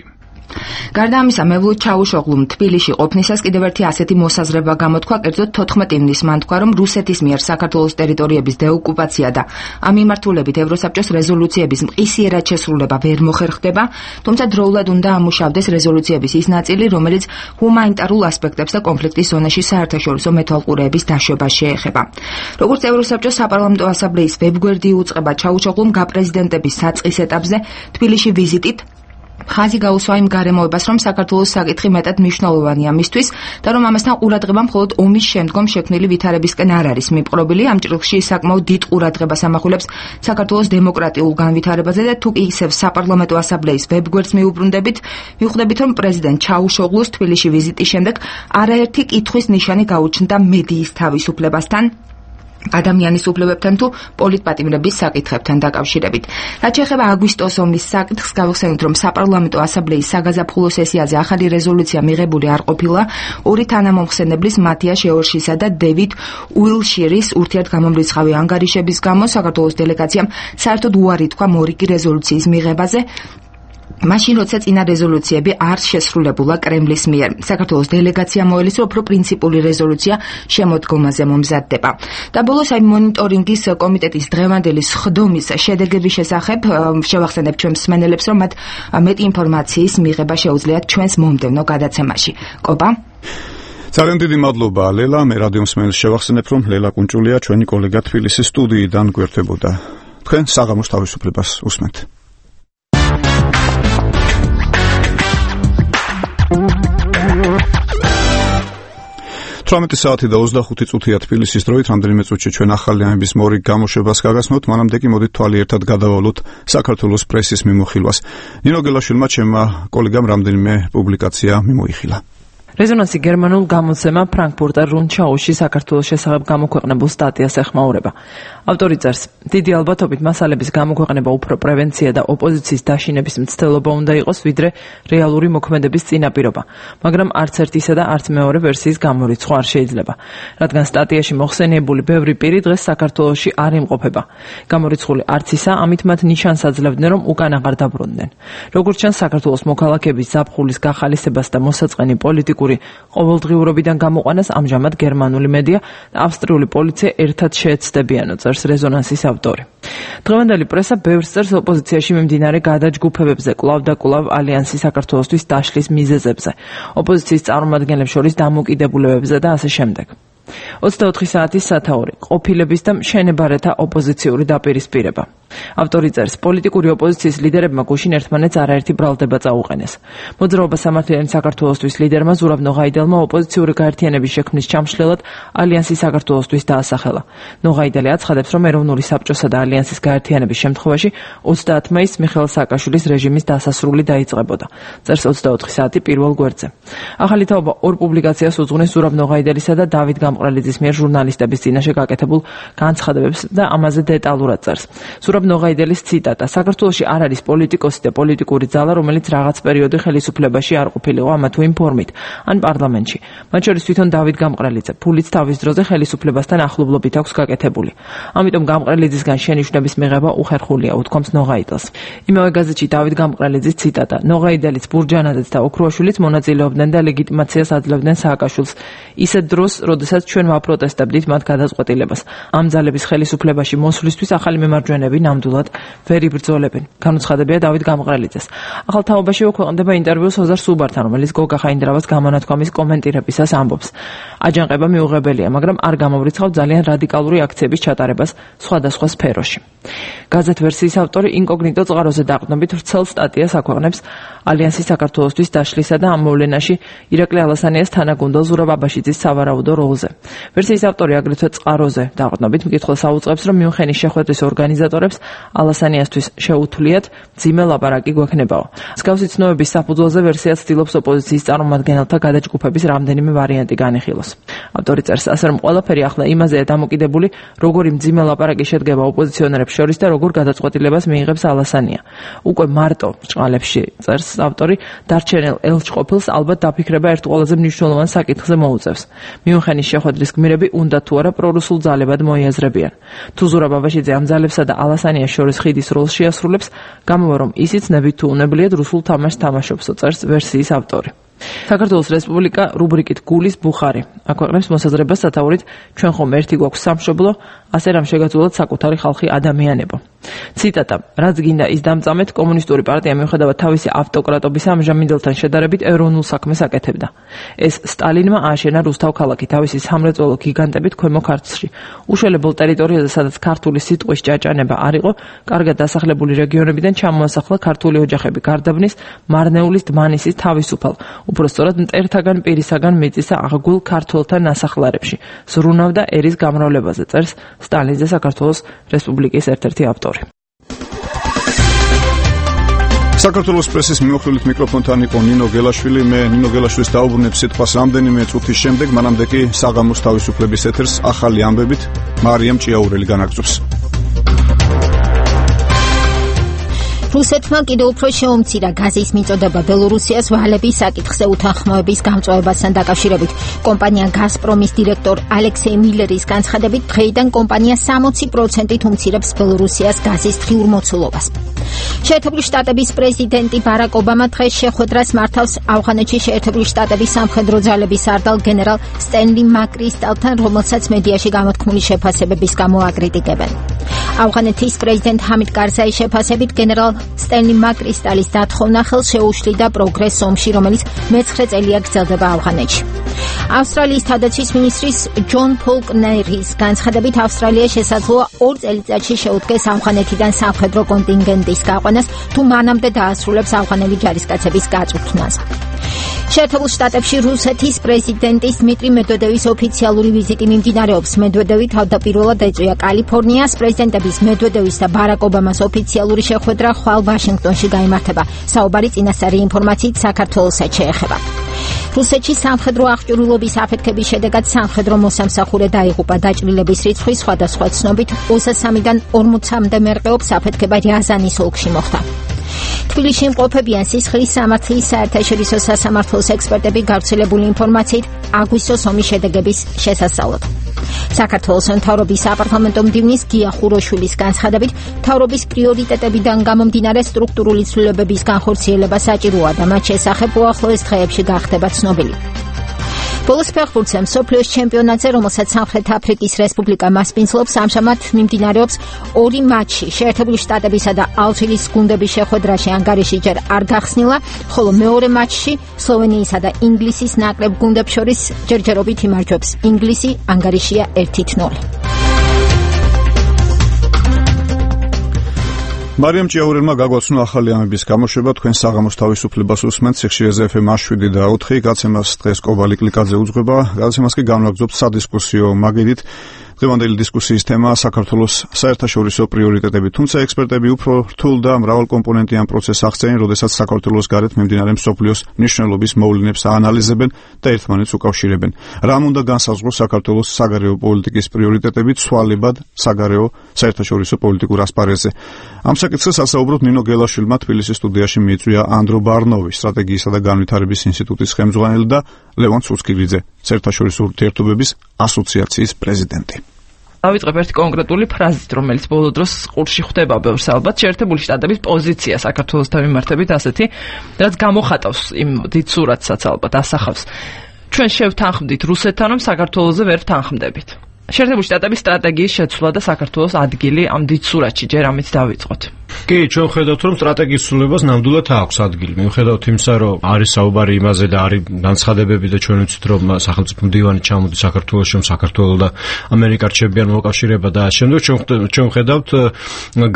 გარდა ამისა, მევლუდ ჩაუშოღლუმ თბილისში ყოფნისას კიდევ ერთი ასეთი მოსაზრება გამოთქვა, კერძოდ 14 ივნისს მან თქვა, რომ რუსეთის მიერ საქართველოს ტერიტორიების დეოკუპაცია და ამ მიმართულებით ევროსაბჭოს რეზოლუციების მყისიერად შესრულება ვერ მოხერხდება, თუმცა დროულად უნდა ამუშავდეს რეზოლუციების ის ნაწილი, რომელიც ჰუმანიტარულ ასპექტებს და კონფლიქტის ზონაში საერთაშორისო მეთვალყურეების დაშვებას შეეხება. როგორც ევროსაბჭოს საპარლამენტო ასამბლეის ვებგვერდი უწყება, ჩაუშოღლუმ გაპრეზიდენტების საწყის ეტაპზე თბილისში ვიზიტით ხაზი გაუსვა იმ გარემოებას, რომ საქართველოს საკითხი მეტად მნიშვნელოვანია მისთვის და რომ ამასთან ყურადღება მხოლოდ ომის შემდგომ შექმნილი ვითარებისკენ არ არის მიპყრობილი. ამ ჭრილში საკმაოდ დიდ ყურადღებას ამახვილებს საქართველოს დემოკრატიულ განვითარებაზე და თუ ისევ საპარლამენტო ასამბლეის ვებგვერდს მიუბრუნდებით, მივხვდებით, რომ პრეზიდენტ ჩაუშოღლუს თბილისში ვიზიტის შემდეგ არაერთი კითხვის ნიშანი გაუჩნდა მედიის თავისუფლებასთან, ადამიანის უფლებებთან თუ პოლიტპატიმრების საკითხებთან დაკავშირებით. რაც შეეხება აგვისტოს ომის საკითხს, გავიხსენოთ, რომ საპარლამენტო ასამბლეის საგაზაფხულო სესიაზე ახალი რეზოლუცია მიღებული არ ყოფილა. ორი თანამომხსენებლის მათია შეორშისა და დევიდ უილშირის ურთიერთგამომრიცხავი ანგარიშების გამო საქართველოს დელეგაციამ საერთოდ უარი თქვა მორიგი რეზოლუციის მიღებაზე. მაშინ როცა წინა რეზოლუციები არ შესრულებულა კრემლის მიერ. საქართველოს დელეგაცია მოელის, რომ უფრო პრინციპული რეზოლუცია შემოდგომაზე მომზადდება. და ბოლოს მონიტორინგის კომიტეტის დღევანდელი სხდომის შედეგების შესახებ შევახსენებთ ჩვენ მსმენელებს, რომ მათ მეტი ინფორმაციის მიღება შეუძლიათ ჩვენს მომდევნო გადაცემაში. კობა? ძალიან დიდი მადლობა ლელა. მე რადიო მსმენელს შევახსენებ, რომ ლელა კუნჭულია ჩვენი კოლეგა თბილისის სტუდიიდან გვერდებოდა. თქვენ საღამოს თავისუფლებას უსმენთ. 18 საათი და 25 წუთია თბილისის დროით, რამდენიმე წუთში ჩვენ ახალი ამების მორიგ გამოშვებას გაგაცნოთ, მანამდე კი მოდით თვალი ერთად გადავალოთ საქართველოს პრესის მიმოხილვას. ნინო გელაშვილმა ჩემმა კოლეგამ რამდენიმე პუბლიკაცია მიმოიხილა. რეზონანსი გერმანულ გამოცემა ფრანკფურტერ რუნდშაუში საქართველოს შესახებ გამოქვეყნებულ სტატიას ეხმაურება. ავტორი წერს: დიდი ალბათობით მასალების გამოქვეყნება უფრო პრევენცია და ოპოზიციის დაშინების მცდელობა უნდა იყოს, ვიდრე რეალური მოქმედების წინაპირობა, მაგრამ არც ერთისა და არც მეორე ვერსიის გამორიცხვა არ შეიძლება, რადგან სტატიაში მოხსენიებული ბევრი პირი დღეს საქართველოში არ იმყოფება. გამორიცხული არც ისა, ამით მათ ნიშანს აძლევდნენ, რომ უკან აღარ დაბრუნდნენ. როგორც ჩანს, საქართველოს მოქალაქეების ზაფხულის გახალისებას და მოსაწყენი პოლიტიკური ყოველდღიურობიდან გამოყვანას ამჟამად გერმანული მედია და ავსტრიული პოლიცია ერთად შეეცდებიანო, წერს რეზონანსის ავტორი. დღევანდელი პრესა ბევრს წერს ოპოზიციაში მიმდინარე გადაჯგუფებებზე, კვლავ და კვლავ ალიანსი საქართველოსთვის დაშლის მიზეზებზე, ოპოზიციის წარმომადგენლებს შორის დამოკიდებულებებზე და ასე შემდეგ. 24 საათის სათაური, ყოფილების და მშენებარეთა ოპოზიციური დაპირისპირება. ავტორი წერს: პოლიტიკური ოპოზიციის ლიდერებმა გუშინ ერთმანეთს არაერთი ბრალდება წაუყენეს. მოძრაობა სამართლიანი საქართველოსთვის ლიდერმა ზურაბ ნოღაიდელმა ოპოზიციური გაერთიანების შექმნის ჩამშლელად ალიანსი საქართველოსთვის დაასახელა. ნოღაიდელი აცხადებს, რომ ეროვნული საბჭოსა და ალიანსის გაერთიანების შემთხვევაში 30 მაისს მიხეილ სააკაშვილის რეჟიმის დასასრული დაიწყებოდა. წერს 24 საათი პირველ გვერდზე. ახალი თაობა ორ პუბლიკაციას უძღვნის ზურაბ ნოღაიდელისა და დავით გამყრელიძის მიერ ჟურნალისტების წინაშე გაკეთებულ განცხადებებს და ამაზე დეტალურად წერს. ზურაბ ნოღაიდელის ციტატა: საქართველოში არ არის პოლიტიკოსი და პოლიტიკური ძალა, რომელიც რაღაც პერიოდი ხელისუფლებაში არ ყოფილიყო ამა თუ იმ ფორმით, ან პარლამენტში. მათ შორის თვითონ დავით გამყრელიძე, ფულიც თავის დროზე ხელისუფლებასთან ახლობლობით აქვს გაკეთებული. ამიტომ გამყრელიძისგან შენიშვნების მიღება უხერხულია, უთქვამს ნოღაიდელს. იმავე გაზეთში დავით გამყრელიძის ციტატა: ნოღაიდელიც, ბურჯანაძეც და ოქრუაშვილიც მონაწილეობდნენ და ლეგიტიმაციას აძლევდნენ სააკაშვილს ისეთ დროს, როდესაც ჩვენ ვაპროტესტებდით მათ გადაწყვეტილებას. ამ ძალების ხელისუფლებაში მოსვლისთვის ახალი მემარჯვენეები ნამდვილად ვერ იბრძოლებენ. განუცხადებია დავით გამყრელიძეს. ახალ თაობაში მოქვეყნდება ინტერვიუ სოზარ სუბართან, რომელიც გოგა ხაინდრავას გამონათქვამის კომენტირებისას ამბობს: აჯანყება მიუღებელია, მაგრამ არ გამომრიცხავ ძალიან რადიკალური აქციების ჩატარებას სხვადასხვა სფეროში. გაზეთ ვერსიის ავტორი ინკოგნიტო წყაროზე დაყრდნობით ვრცელ სტატიას აქვეყნებს ალიანსის საქართველოსთვის დაშლისა და ამ მოვლენაში ირაკლი ალასანიას თანაგუნდელ ზურაბ აბაშიძის სავარაუდო როლზე. ვერსიის ავტორი აგრეთვე წყაროზე დაყრდნობით მკითხველს აუწყებს, რომ მიუნხენის შეხვედრის ორგანიზატორებს ალასანიასთვის შეუთვლიათ მძიმე ლაპარაკი გვექნებაო. მსგავსი ცნობების საფუძველზე ვერსია ცდილობს ოპოზიციის წარმომადგენელთა გადაჯგუფების რამდენიმე ვარიანტი განიხილოს. ავტორი წერს ასე, რომ ყველაფერი ახლა იმაზეა დამოკიდებული, როგორი მძიმე ლაპარაკი შედგება ოპოზიციონერებს შორის და როგორ გადაწყვეტილებას მიიღებს ალასანია. უკვე მარტო ბრჭყალებში, წერს ავტორი, დარჩენილ ელჩყოფილს ალბათ დაფიქრება ერთ ყველაზე მნიშვნელოვან საკითხზე მოუწევს. მიუნხენის შეხვედრის გმირები უნდა თუ არა პრორუსულ ძალებად მოიაზრებიან. თუ ზურაბ აბაშიძე ამ ძალებსა და ალასანიას შორის ხიდის როლს შეასრულებს, გამოვა რომ ისიც ნებით თუ უნებლიეთ რუსულ თამაშს თამაშობსო, წერს ვერსიის ავტორი. საქართველოს რესპუბლიკა რუბრიკით გულის ბუხარი აქვეყნებს მოსაზრებას სათაურით: ჩვენ ხომ ერთი გვაქვს სამშობლო, ასე რამ შეგაძულოთ საკუთარი ხალხი ადამიანებო. ციტატა: რაც გინდა ის დამწამეთ, კომუნისტური პარტია მიუხედავად თავისი ავტოკრატობისა ამჟამინდელთან შედარებით ეროვნულ საქმეს აკეთებდა. ეს სტალინმა ააშენა რუსთავ ქალაქი თავისი სამრეწველო გიგანტებით ქვემო ქართლში. უშველებელ ტერიტორიაზე, სადაც ქართული სიტყვის ჭაჭანება არ იყო, კარგად დასახლებული რეგიონებიდან ჩამოასახლა ქართული ოჯახები გარდაბნის, მარნეულის, დმანისის, თავისუფალ, უпростоრად მტერთაგან პირისაგან მიწისა აღგულ ქართველთა ნასახლარებში. ზრუნავდა ერის გამრავლებაზე, წერს სტალინზე საქართველოს რესპუბლიკის ერთ-ერთი ავტორი. საქართველოს პრესის მიმოხილვით მიკროფონთან იყო ნინო გელაშვილი. მე ნინო გელაშვილის დაუბრუნებ სიტყვას რამდენიმე წუთის შემდეგ, მანამდე კი საღამოს თავისუფლების ეთერს ახალი ამბებით მარიამ ჭიაურელი განაგრძობს. რუსეთმა კიდევ უფრო შეუმცირა გაზის მიწოდება ბელორუსიას ვალების საკითხზე უთანხმოების გამწვავებასთან დაკავშირებით. კომპანია გაზპრომის დირექტორ ალექსეი მილერის განცხადებით, დღეიდან კომპანია 60%-ით უმცირებს ბელორუსიას გაზის დღიურ მოცულობას. შეერთებული შტატების პრეზიდენტი ბარაკ ობამა დღეს შეხვედრას მართავს ავღანეთში შეერთებული შტატების სამხედრო ძალების სარდალ გენერალ სტენლი მაკრისტალთან, რომელსაც მედიაში გამოთქმული შეფასებების გამო აკრიტიკებენ. ავღანეთის პრეზიდენტ ჰამიდ კარზაის შეფასებით, გენერალ სტენლი მაკრისტალის დათხოვნა ხელს შეუშლიდა პროგრესს ომში, რომელიც მე-9 წელია გრძელდება ავღანეთში. ავსტრალიის თავდაცვის მინისტრის ჯონ ფოლკნერის განცხადებით, ავსტრალია შესაძლოა 2 წელიწადში შეუდგეს ავღანეთიდან სამხედრო კონტინგენტის გაყვანას, თუ მანამდე დაასრულებს ავღანელი ჯარისკაცების გაწვრთნას. შეერთებულ შტატებში რუსეთის პრეზიდენტის დმიტრი მედვედევის ოფიციალური ვიზიტი მიმდინარეობს. მედვედევი თავდაპირველად ეწვია კალიფორნიას. პრეზიდენტების მედვედევის და ბარაკ ობამას ოფიციალური შეხვედრა ხვალ ვაშინგტონში გაიმართება. საუბარი წინასწარი ინფორმაციით საქართველოსაც შეეხება. რუსეთში სამხედრო აღჭურვილობის აფეთქების შედეგად სამხედრო მოსამსახურე დაიღუპა. დაჭრილების რიცხვი სხვადასხვა ცნობით 23-დან 40-მდე მერყეობს. აფეთქება რიაზანის ოლქში მოხდა. თბილისში იმყოფებიან სისხლის სამართლის საერთაშორისო სასამართლოს ექსპერტები გავრცელებული ინფორმაციით აგვისტოს ომის შედეგების შესასწავლად. საქართველოს მთავრობის საპარლამენტო მდივნის გია ხუროშვილის განცხადებით, მთავრობის პრიორიტეტებიდან გამომდინარე სტრუქტურული ცვლილებების განხორციელება საჭიროა და მათ შესახებ უახლოეს დღეებში გახდება ცნობილი. ბოლოს ფეხბურთზე მსოფლიოს ჩემპიონატზე, რომელსაც სამხრეთ აფრიკის რესპუბლიკა მასპინძლობს, ამჟამად მიმდინარეობს 2 მატჩი. შეერთებული შტატებისა და ალჟირის გუნდების შეხვედრაში ანგარიში ჯერ არ გახსნილა, ხოლო მეორე მატჩში სლოვენიისა და ინგლისის ნაკრებ გუნდებს შორის ჯერჯერობით იმარჯვებს ინგლისი, ანგარიშია 1-0. მარიამ ჭიაურელმა გაგვაცნო ახალი ამების გამოშვება. თქვენ საღამოს თავისუფლებას უსმენთ სიხშირეზე FM 7 და 4. გაცემას დღეს კობალი კლიკაძე უძღვება. გაცემას კი განვაგრძობთ სადისკუსიო მაგიდით. დღევანდელი დისკუსიის თემაა საქართველოს საერთაშორისო პრიორიტეტები, თუმცა ექსპერტები უფრო რთულ და მრავალკომპონენტიან პროცესს აღწერენ, როდესაც საქართველოს გარეთ მიმდინარე მსოფლიოს მნიშვნელობის მოვლენებს აანალიზებენ და ერთმანეთს უკავშირებენ. რამ უნდა განსაზღვროს საქართველოს საგარეო პოლიტიკის პრიორიტეტები ცვალებად საგარეო საერთაშორისო პოლიტიკურ ასპარეზზე? ამ საკითხს ასაუბროთ ნინო გელაშვილმა თბილისის სტუდიაში მიიწვია ანდრო ბარნოვი, სტრატეგიისა და განვითარების ინსტიტუტის ხელმძღვანელი და ლევან ცუცკილიძე, საერთაშორისო ურთიერთობების ასოციაციის პრეზიდენტი. დავიწყებ ერთი კონკრეტული ფრაზით, რომელიც ბოლო დროს ყურში ხვდება ბევრს, ალბათ შეერთებული შტატების პოზიცია საქართველოსთან მიმართებით ასეთი, რაც გამოხატავს იმ დიდ სურათსაც, ალბათ ასახავს. ჩვენ შევთანხმდით რუსეთთან, რომ საქართველოზე ვერ ვთანხმდებით. შეერთებული შტატების სტრატეგიის შეცვლა და საქართველოს ადგილი ამ დიდ სურათში ჯერ ამით დავიწყოთ. კი, ჩვენ ხედავთ, რომ სტრატეგიის ცვლილებას ნამდვილად აქვს ადგილი. მიუხედავად იმისა, რომ არის საუბარი იმაზე და არის განცხადებები და ჩვენ ვიცით, რომ სახელმწიფო მდივანი ჩამოდის საქართველოში, რომ საქართველო და ამერიკა რჩებიან მოკავშირეება და შემდეგ ჩვენ ხედავთ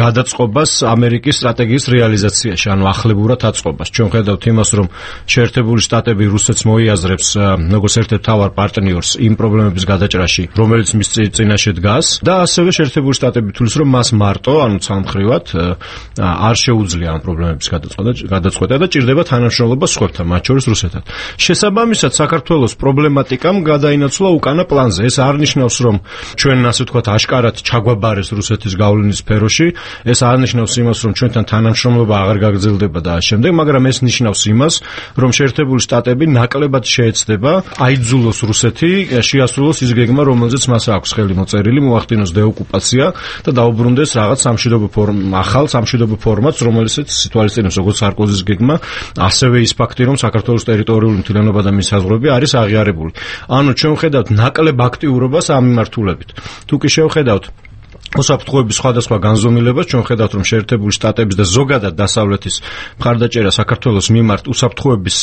გადაწყობას ამერიკის სტრატეგიის რეალიზაციაში, ანუ ახლებურად აწყობას. ჩვენ ხედავთ იმას, რომ შეერთებული შტატები რუსეთს მოიაზრებს როგორც ერთ-ერთ მთავარ პარტნიორს იმ პრობლემების გადაჭრაში, რომელიც მის წინაშე დგას და ასევე შეერთებული შტატები თulis, რომ მას მარტო, ანუ ცალმხრივად არ შეუძლია ამ პრობლემების გადაწყვეტა და ჭირდება თანამშრომლობა სხვებთან, მათ შორის რუსეთთან. შესაბამისად, საქართველოს პრობლემატიკამ გადაინაცვლა უკანა პლანზე. ეს არ ნიშნავს, რომ ჩვენ ასე ვთქვათ აშკარად ჩაგვაბარეს რუსეთის გავლენის სფეროში, ეს არ ნიშნავს იმას, რომ ჩვენთან თანამშრომლობა აღარ გაგრძელდება და შემდეგ, მაგრამ ეს ნიშნავს იმას, რომ შეერთებული შტატები ნაკლებად შეეცდება აიძულოს რუსეთი შეასრულოს ის გეგმა, რომელზეც მას აქვს ხელი მოწერილი, მოახდინოს დეოკუპაცია და დაუბრუნდეს რაღაც სამშვიდობო ახალ სამშვიდობო ფორმატს, რომელსაც სიტუაციას როგორც სარკოზის გეგმა, ასევე ის ფაქტი, რომ საქართველოს ტერიტორიული მთლიანობა და მის საზღვრები არის აღიარებული. ანუ ჩვენ ხედავთ ნაკლებ აქტიურობას ამ მიმართულებით. თუ კი შევხედავთ უსაფრთხოების სხვადასხვა განზომილებას ჩვენ ხედავთ რომ შეერთებული შტატების და ზოგადად დასავლეთის მხარდაჭერა საქართველოს მიმართ უსაფრთხოების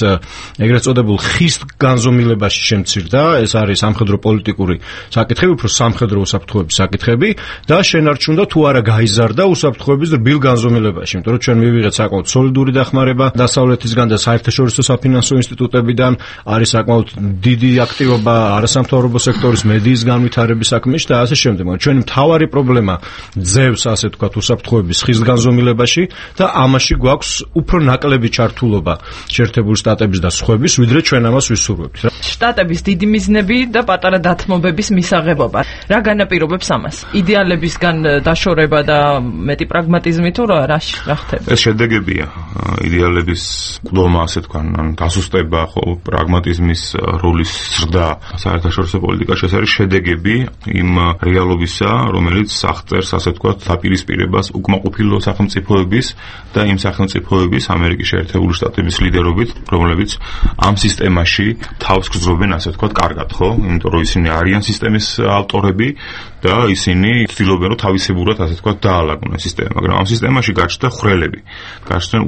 ეგრეთ წოდებულ ხის განზომილებაში შემცირდა. ეს არის სამხედრო პოლიტიკური საკითხები, უფრო სამხედრო უსაფრთხოების საკითხები და შენარჩუნდა თუ არა გაიზარდა უსაფრთხოების რბილ განზომილებაში, იმიტომ რომ ჩვენ მივიღეთ საკმაოდ სოლიდური დახმარება დასავლეთისგან და საერთაშორისო საფინანსო ინსტიტუტებიდან, არის საკმაოდ დიდი აქტივობა არასამთავრობო სექტორის მედიის განვითარების საქმეში და ასე შემდეგ. ჩვენი მთავარი პრობლემა ძევს ასე თქვათ უსაფრთხოების ხის განზომილებაში და ამაში გვაქვს უფრო ნაკლები ჩართულობა შეერთებული შტატების და სხვების, ვიდრე ჩვენ ამას ვისურვებთ. შტატების დიდი მიზნები და პატარა დათმობების მისაღებობა. რა განაპირობებს ამას? იდეალებისგან დაშორება და მეტი პრაგმატიზმი თუ რა ხდება? ეს შედეგებია იდეალების ყდომა, ასე თქვან, დასუსტება, ხო, პრაგმატიზმის როლის ზრდა საერთაშორისო პოლიტიკაში, ეს არის შედეგები იმ რეალობისა, რომელიც აღწერს, ასე თქვათ, დაპირისპირებას უკმაყოფილო სახელმწიფოების და იმ სახელმწიფოების ამერიკის შეერთებული შტატების ლიდერობით, რომლებიც ამ სისტემაში თავს გრძნობენ, ასე თქვათ, კარგად, ხო? იმიტომ რომ ისინი არიან სისტემის ავტორები და ისინი ცდილობენ რომ თავისებურად, ასე თქვათ, დაალაგონ ეს სისტემა, მაგრამ ამ სისტემაში გაჩნდა ხვრელები, გაჩნდნენ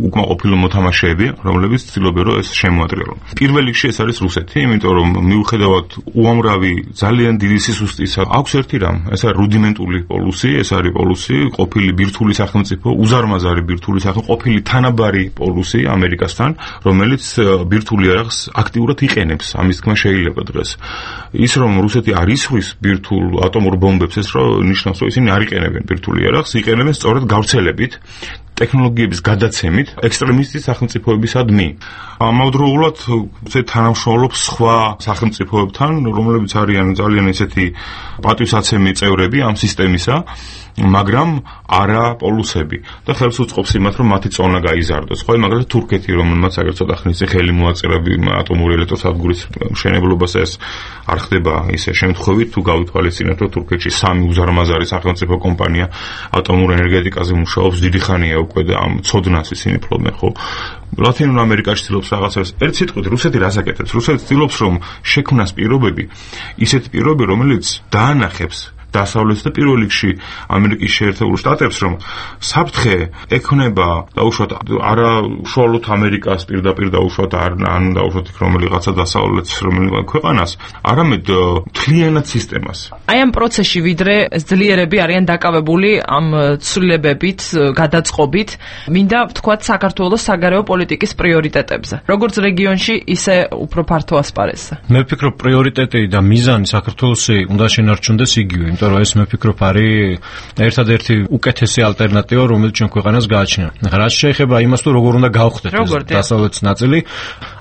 უკმაყოფილო მოთამაშეები, რომლებიც ცდილობენ რომ ეს შემოატრიალონ. პირველ რიგში ეს არის რუსეთი, იმიტომ რომ მიუხედავად უამრავი ძალიან დიდი სისუსტისა, აქვს ერთი რამ, ეს არის რუდიმენტული პოლუსი, ეს არის პოლუსი, ყოფილი ბირთვული სახელმწიფო, უზარმაზარი ბირთვული სახელმწიფო, ყოფილი თანაბარი პოლუსი ამერიკასთან, რომელიც ბირთვული იარაღს აქტიურად იყენებს, ამის თქმა შეიძლება დღეს. ის რომ რუსეთი არ ისხვის ბირთვულ ატომურ ბომბებს, ეს რომ ნიშნავს, რომ ისინი არ იყენებენ ბირთვული იარაღს, იყენებენ სწორედ გავრცელებით, ტექნოლოგიების გადაცემით ექსტრემისტის სახელმწიფოებისადმი. ამავდროულად ეს თანამშრომლობს სხვა სახელმწიფოებთან, რომლებიც არიან ძალიან ესეთი პატივსაცემი წევრები ამ სისტემისა, მაგრამ არა პოლუსები და ხელს უწყობს იმათ, რომ მათი წონა გაიზარდოს. ხო, მაგალითად თურქეთი, რომელმაც აგერ ცოტა ხნის წინ ხელი მოაწერა ატომური ელექტროსადგურის მშენებლობას, ეს არ ხდება ისე შემთხვევით, თუ გავითვალისწინებთ, რომ თურქეთში სამი უზარმაზარი სახელმწიფო კომპანია ატომურ ენერგეტიკაზე მუშაობს დიდი ხანია უკვე და ამ ცოდნას ისინი ფლობენ, ხო? ლათინურ ამერიკაში ცდილობს რაღაცას. ერთ სიტყვით, რუსეთი რას აკეთებს? რუსეთი ცდილობს, რომ შექმნას პირობები, ისეთი პირობები, რომელიც დაანახებს დასავლეთს და პირველ რიგში ამერიკის შეერთებულ შტატებს, რომ საფრთხე ექნება დაუშვათ არა უშუალოდ ამერიკას პირდაპირ დაუშვათ ან დაუშვათ რომელიღაცა დასავლეთს რომელიღა ქვეყანას, არამედ მთლიანად სისტემას. აი ამ პროცესში ვიდრე ძლიერები არიან დაკავებული ამ ცვლილებებით, გადაწყობით, მინდა ვთქვათ საქართველოს საგარეო პოლიტიკის პრიორიტეტებზე. როგორც რეგიონში, ისე უფრო ფართო ასპარეზზე. მე ვფიქრობ, პრიორიტეტი და მიზანი საქართველოსი უნდა შენარჩუნდეს იგივე. იმიტომ რომ ეს მე ვფიქრობ არის ერთადერთი უკეთესი ალტერნატივა, რომელიც ჩვენ ქვეყანას გააჩნია. რაც შეეხება იმას, თუ როგორ უნდა გავხდეთ დასავლეთის ნაწილი,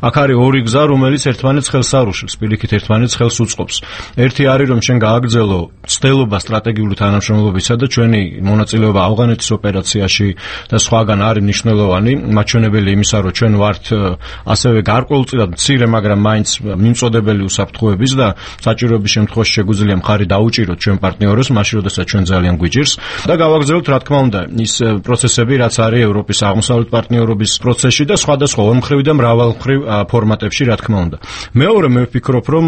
აქ არის ორი გზა, რომელიც ერთმანეთს ხელს არ უშლის, პირიქით ერთმანეთს ხელს უწყობს. ერთი არის, რომ ჩვენ გააგრძელო ცდელობა სტრატეგიული თანამშრომლობისა და ჩვენი მონაწილეობა ავღანეთის ოპერაციაში და სხვაგან არის მნიშვნელოვანი, მაჩვენებელი იმისა, რომ ჩვენ ვართ ასევე გარკვეულწილად მცირე, მაგრამ მაინც მიმწოდებელი უსაფრთხოების და საჭიროების შემთხვევაში შეგვიძლია მხარი დაუჭიროთ ჩვენ პარტნიორებს, მაშინ როდესაც ჩვენ ძალიან გვიჭირს და გავაგრძელოთ, რა თქმა უნდა, ის პროცესები, რაც არის ევროპის აღმოსავლეთ პარტნიორობის პროცესში და სხვადასხვა ორმხრივი და მრავალმხრივ ფორმატებში, რა თქმა უნდა. მეორე, მე ვფიქრობ, რომ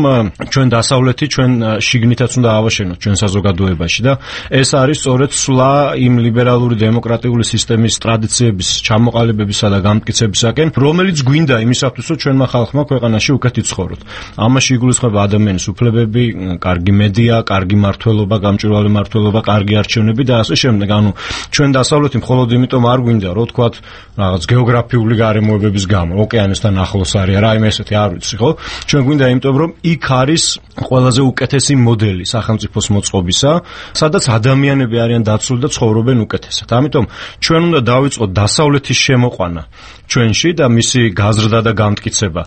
ჩვენ დასავლეთი ჩვენ შიგნითაც უნდა ავაშენოთ ჩვენ საზოგადოებაში და ეს არის სწორედ სვლა იმ ლიბერალური დემოკრატიული სისტემის ტრადიციების ჩამოყალიბებისა და გამტკიცებისაკენ, რომელიც გვინდა იმისათვის, რომ ჩვენმა ხალხმა ქვეყანაში უკეთ იცხოვროთ. ამაში იგულისხმება ადამიანის უფლებები, კარგი მედია, კარგი მართლობა, გამჭვირვალე მართლობა, კარგი არჩევნები და ასე შემდეგ. ანუ ჩვენ დასავლეთი მხოლოდ იმიტომ არ გვინდა, რომ თქვათ რაღაც გეოგრაფიული გარემოებების გამო, ოკეანესთან ახლოს არის, რაიმე ესეთი არ ვიცი, ხო? ჩვენ გვინდა იმიტომ, რომ იქ არის ყველაზე უკეთესი მოდელი სახელმწიფოს მოწყობისა, სადაც ადამიანები არიან დაცული და ცხოვრობენ უკეთესად. ამიტომ ჩვენ უნდა დავიწყოთ დასავლეთის შემოყვანა ჩვენში და მისი გაზრდა და გამტკიცება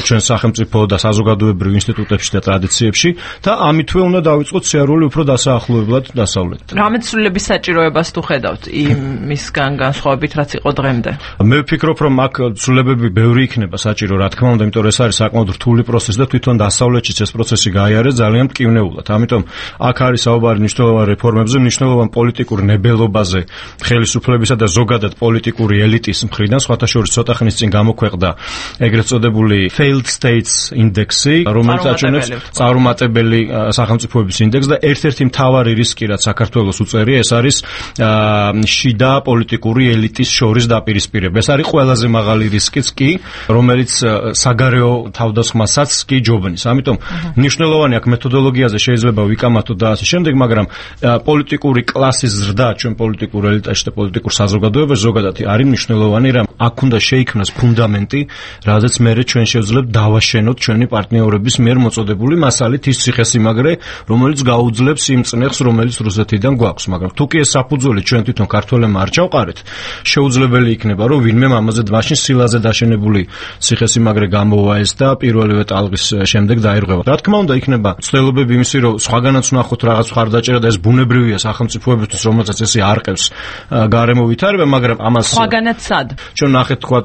ჩვენ სახელმწიფო და საზოგადოებრივ ინსტიტუტებში და ტრადიციებში და ამითვე უნდა დავიწყოთ სიარული უფრო დასაახლოებლად დასავლეთთან. რამე ცვლილების საჭიროებას თუ ხედავთ იმისგან განსხვავებით, რაც იყო დღემდე? მე ვფიქრობ, რომ აქ ცვლილებები ბევრი იქნება საჭირო, რა თქმა უნდა, იმიტომ რომ ეს არის საკმაოდ რთული პროცესი და თვითონ დასავლეთშიც ეს პროცესი გაიარეს ძალიან მტკივნეულად. ამიტომ აქ არის საუბარი მნიშვნელოვან რეფორმებზე, მნიშვნელოვან პოლიტიკურ ნებელობაზე, ხელისუფლებისა და ზოგადად პოლიტიკური ელიტის მხრიდან, სხვათა შორის ცოტა ხნის წინ გამოქვეყნდა ეგრეთ წოდებული failed states index-ი, რომელიც აჩვენებს წარუმატებელი სახელმწიფოების ინდექსს და ერთ ერთ-ერთი მთავარი რისკი, რაც საქართველოს უწევია, ეს არის შიდა პოლიტიკური ელიტის შორის დაპირისპირება. ეს არის ყველაზე მაღალი რისკიც კი, რომელიც საგარეო თავდასხმასაც კი ჯობნის. ამიტომ მნიშვნელოვანი აქ მეთოდოლოგიაზე შეიძლება ვიკამათოთ და ასე შემდეგ, მაგრამ პოლიტიკური კლასის ზრდა ჩვენ პოლიტიკურ ელიტაში და პოლიტიკურ საზოგადოებაში ზოგადად არის მნიშვნელოვანი, რომ აქ უნდა შეიქმნას ფუნდამენტი, რადგან მერე ჩვენ შევძლებთ დავაშენოთ ჩვენი პარტნიორების მიერ მოწოდებული მასალით ის ციხესიმაგრე, რომელიც გაუძლებს იმ წნეხს, რომელიც რუსეთიდან გვაქვს. მაგრამ თუ კი ეს საფუძველი ჩვენ თვითონ ქართველებმა არ ჩავყარეთ, შეუძლებელი იქნება, რომ ვინმე ამაზე მაშინ სილაზე დაშენებული ციხესიმაგრე გამოვა ეს და პირველივე ტალღის შემდეგ დაირღვევა. რა თქმა უნდა, იქნება ცდილობები იმისი, რომ სხვაგანაც ვნახოთ რაღაც მხარდაჭერა და ეს ბუნებრივია სახელმწიფოებისთვის, რომელსაც ესე არყევს გარემო ვითარება, მაგრამ ამას სხვაგანაც სად? ჩვენ ნახეთ, თქვა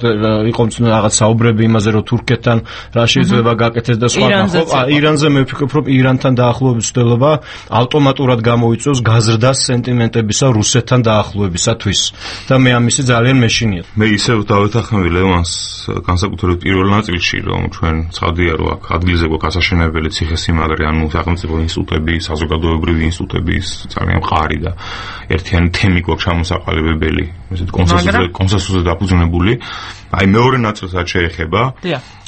იყო რაღაც საუბრები იმაზე, რომ თურქეთთან რა შეიძლება გაკეთდეს და სხვა. ირანზე მე ვფიქრობ, რომ ირანთან დაახლოების ცდილობა ავტომატურად გამოიწვევს გაზრდას სენტიმენტებისა რუსეთთან დაახლოებისათვის და მე ამისი ძალიან მეშინია. მე ისევ დავეთანხმები ლევანს განსაკუთრებით პირველ ნაწილში, რომ ჩვენ ცხადია, რომ აქ ადგილზე გვაქვს ასაშენებელი ციხესიმაგრე, ანუ სახელმწიფო ინსტიტუტები, საზოგადოებრივი ინსტიტუტები ძალიან მყარი და ერთიანი თემი გვაქვს ჩამოსაყალიბებელი, ესეთ კონსენსუსზე დაფუძნებული. აი მეორე ნაწილს რაც შეეხება,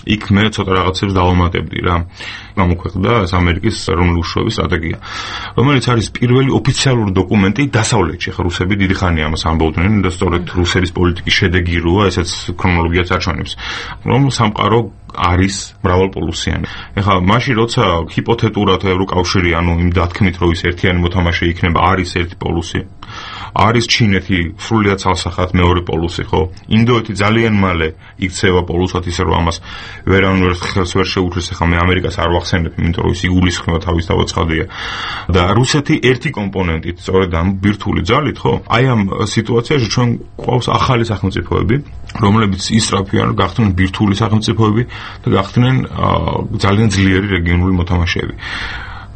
იქ მე ცოტა რაღაცებს დავამატებდი რა. გამოქვეყნდა ამერიკის ეროვნული უშუალობის სტრატეგია, რომელიც არის პირველი ოფიციალური დოკუმენტი დასავლეთში. ხა რუსები დიდი ხანია ამას ამბობდნენ და სწორედ რუსების პოლიტიკის შედეგი როა, ესეც ქრონოლოგიაც აჩვენებს, რომ სამყარო არის მრავალპოლუსიანი. ეხლა მაშინ როცა ჰიპოთეტურად ევროკავშირი, ანუ იმ დათქმით, რომ ის ერთიანი მოთამაშე იქნება, არის ერთი პოლუსი. არის ჩინეთი სრულიად ცალსახად მეორე პოლუსი, ხო? ინდოეთი ძალიან მალე იქცევა პოლუსად, ისე რომ ამას ვერავინ ხელს ვერ შეუჩეს. ახლა მე ამერიკას არ ვახსენებ, იმიტომ რომ ის იგულისხმება თავის თავოცხადია. და რუსეთი ერთი კომპონენტით, სწორედ ამ ბირთვული ძალით, ხო? აი ამ სიტუაციაში ჩვენ გვყავს ახალი სახელმწიფოები, რომლებიც ისწრაფიან, გახდნენ ბირთვული სახელმწიფოები და გახდნენ ძალიან ძლიერი რეგიონული მოთამაშეები.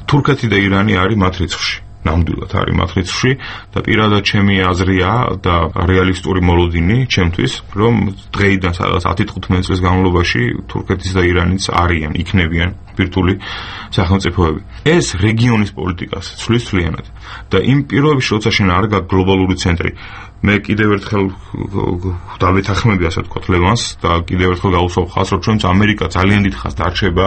თურქეთი და ირანი არის მათ რიცხვში. ნამდვილად არის მათ რიცხვში და პირადად ჩემი აზრია და რეალისტური მოლოდინი ჩემთვის, რომ დღეიდან სადღაც 10-15 წლის განმავლობაში თურქეთის და ირანის არიან, იქნებიან ბირთვული სახელმწიფოები. ეს რეგიონის პოლიტიკას ცვლის თვლიანად და იმ პირობებში, როცა შენ არ გაქვს გლობალური ცენტრი, მე კიდევ ერთხელ დავეთანხმები, ასე ვთქვათ, ლევანს და კიდევ ერთხელ გავუსვამ ხაზს, რომ ჩვენც ამერიკა ძალიან დიდ ხანს დარჩება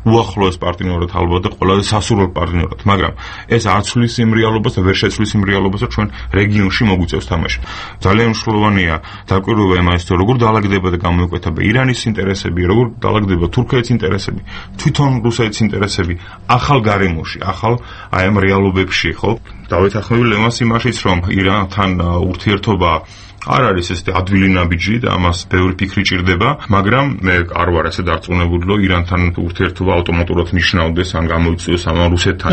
უახლოეს პარტნიორად ალბათ და ყველაზე სასურველ პარტნიორად, მაგრამ ეს არ ცვლის იმ რეალობას და ვერ შეცვლის იმ რეალობას, რომ ჩვენ რეგიონში მოგვიწევს თამაში. ძალიან მნიშვნელოვანია დაკვირვება იმას, როგორ დაალაგდება და გამოიკვეთა ირანის ინტერესები, როგორ დაალაგდება თურქეთის ინტერესები, თვითონ რუსეთის ინტერესები ახალ გარემოში, ახალ აი ამ რეალობებში, ხო? დავეთანხმები ლევანს იმაშიც, რომ ირანთან ურთიერთობა არ არის ეს ადვილი ნაბიჯი და ამას ბევრი ფიქრი ჭირდება, მაგრამ მე არ ვარ ასე დარწმუნებული, რომ ირანთან ურთიერთობა ავტომატურად ნიშნავდეს ან გამოიწვიოს ამ რუსეთთან,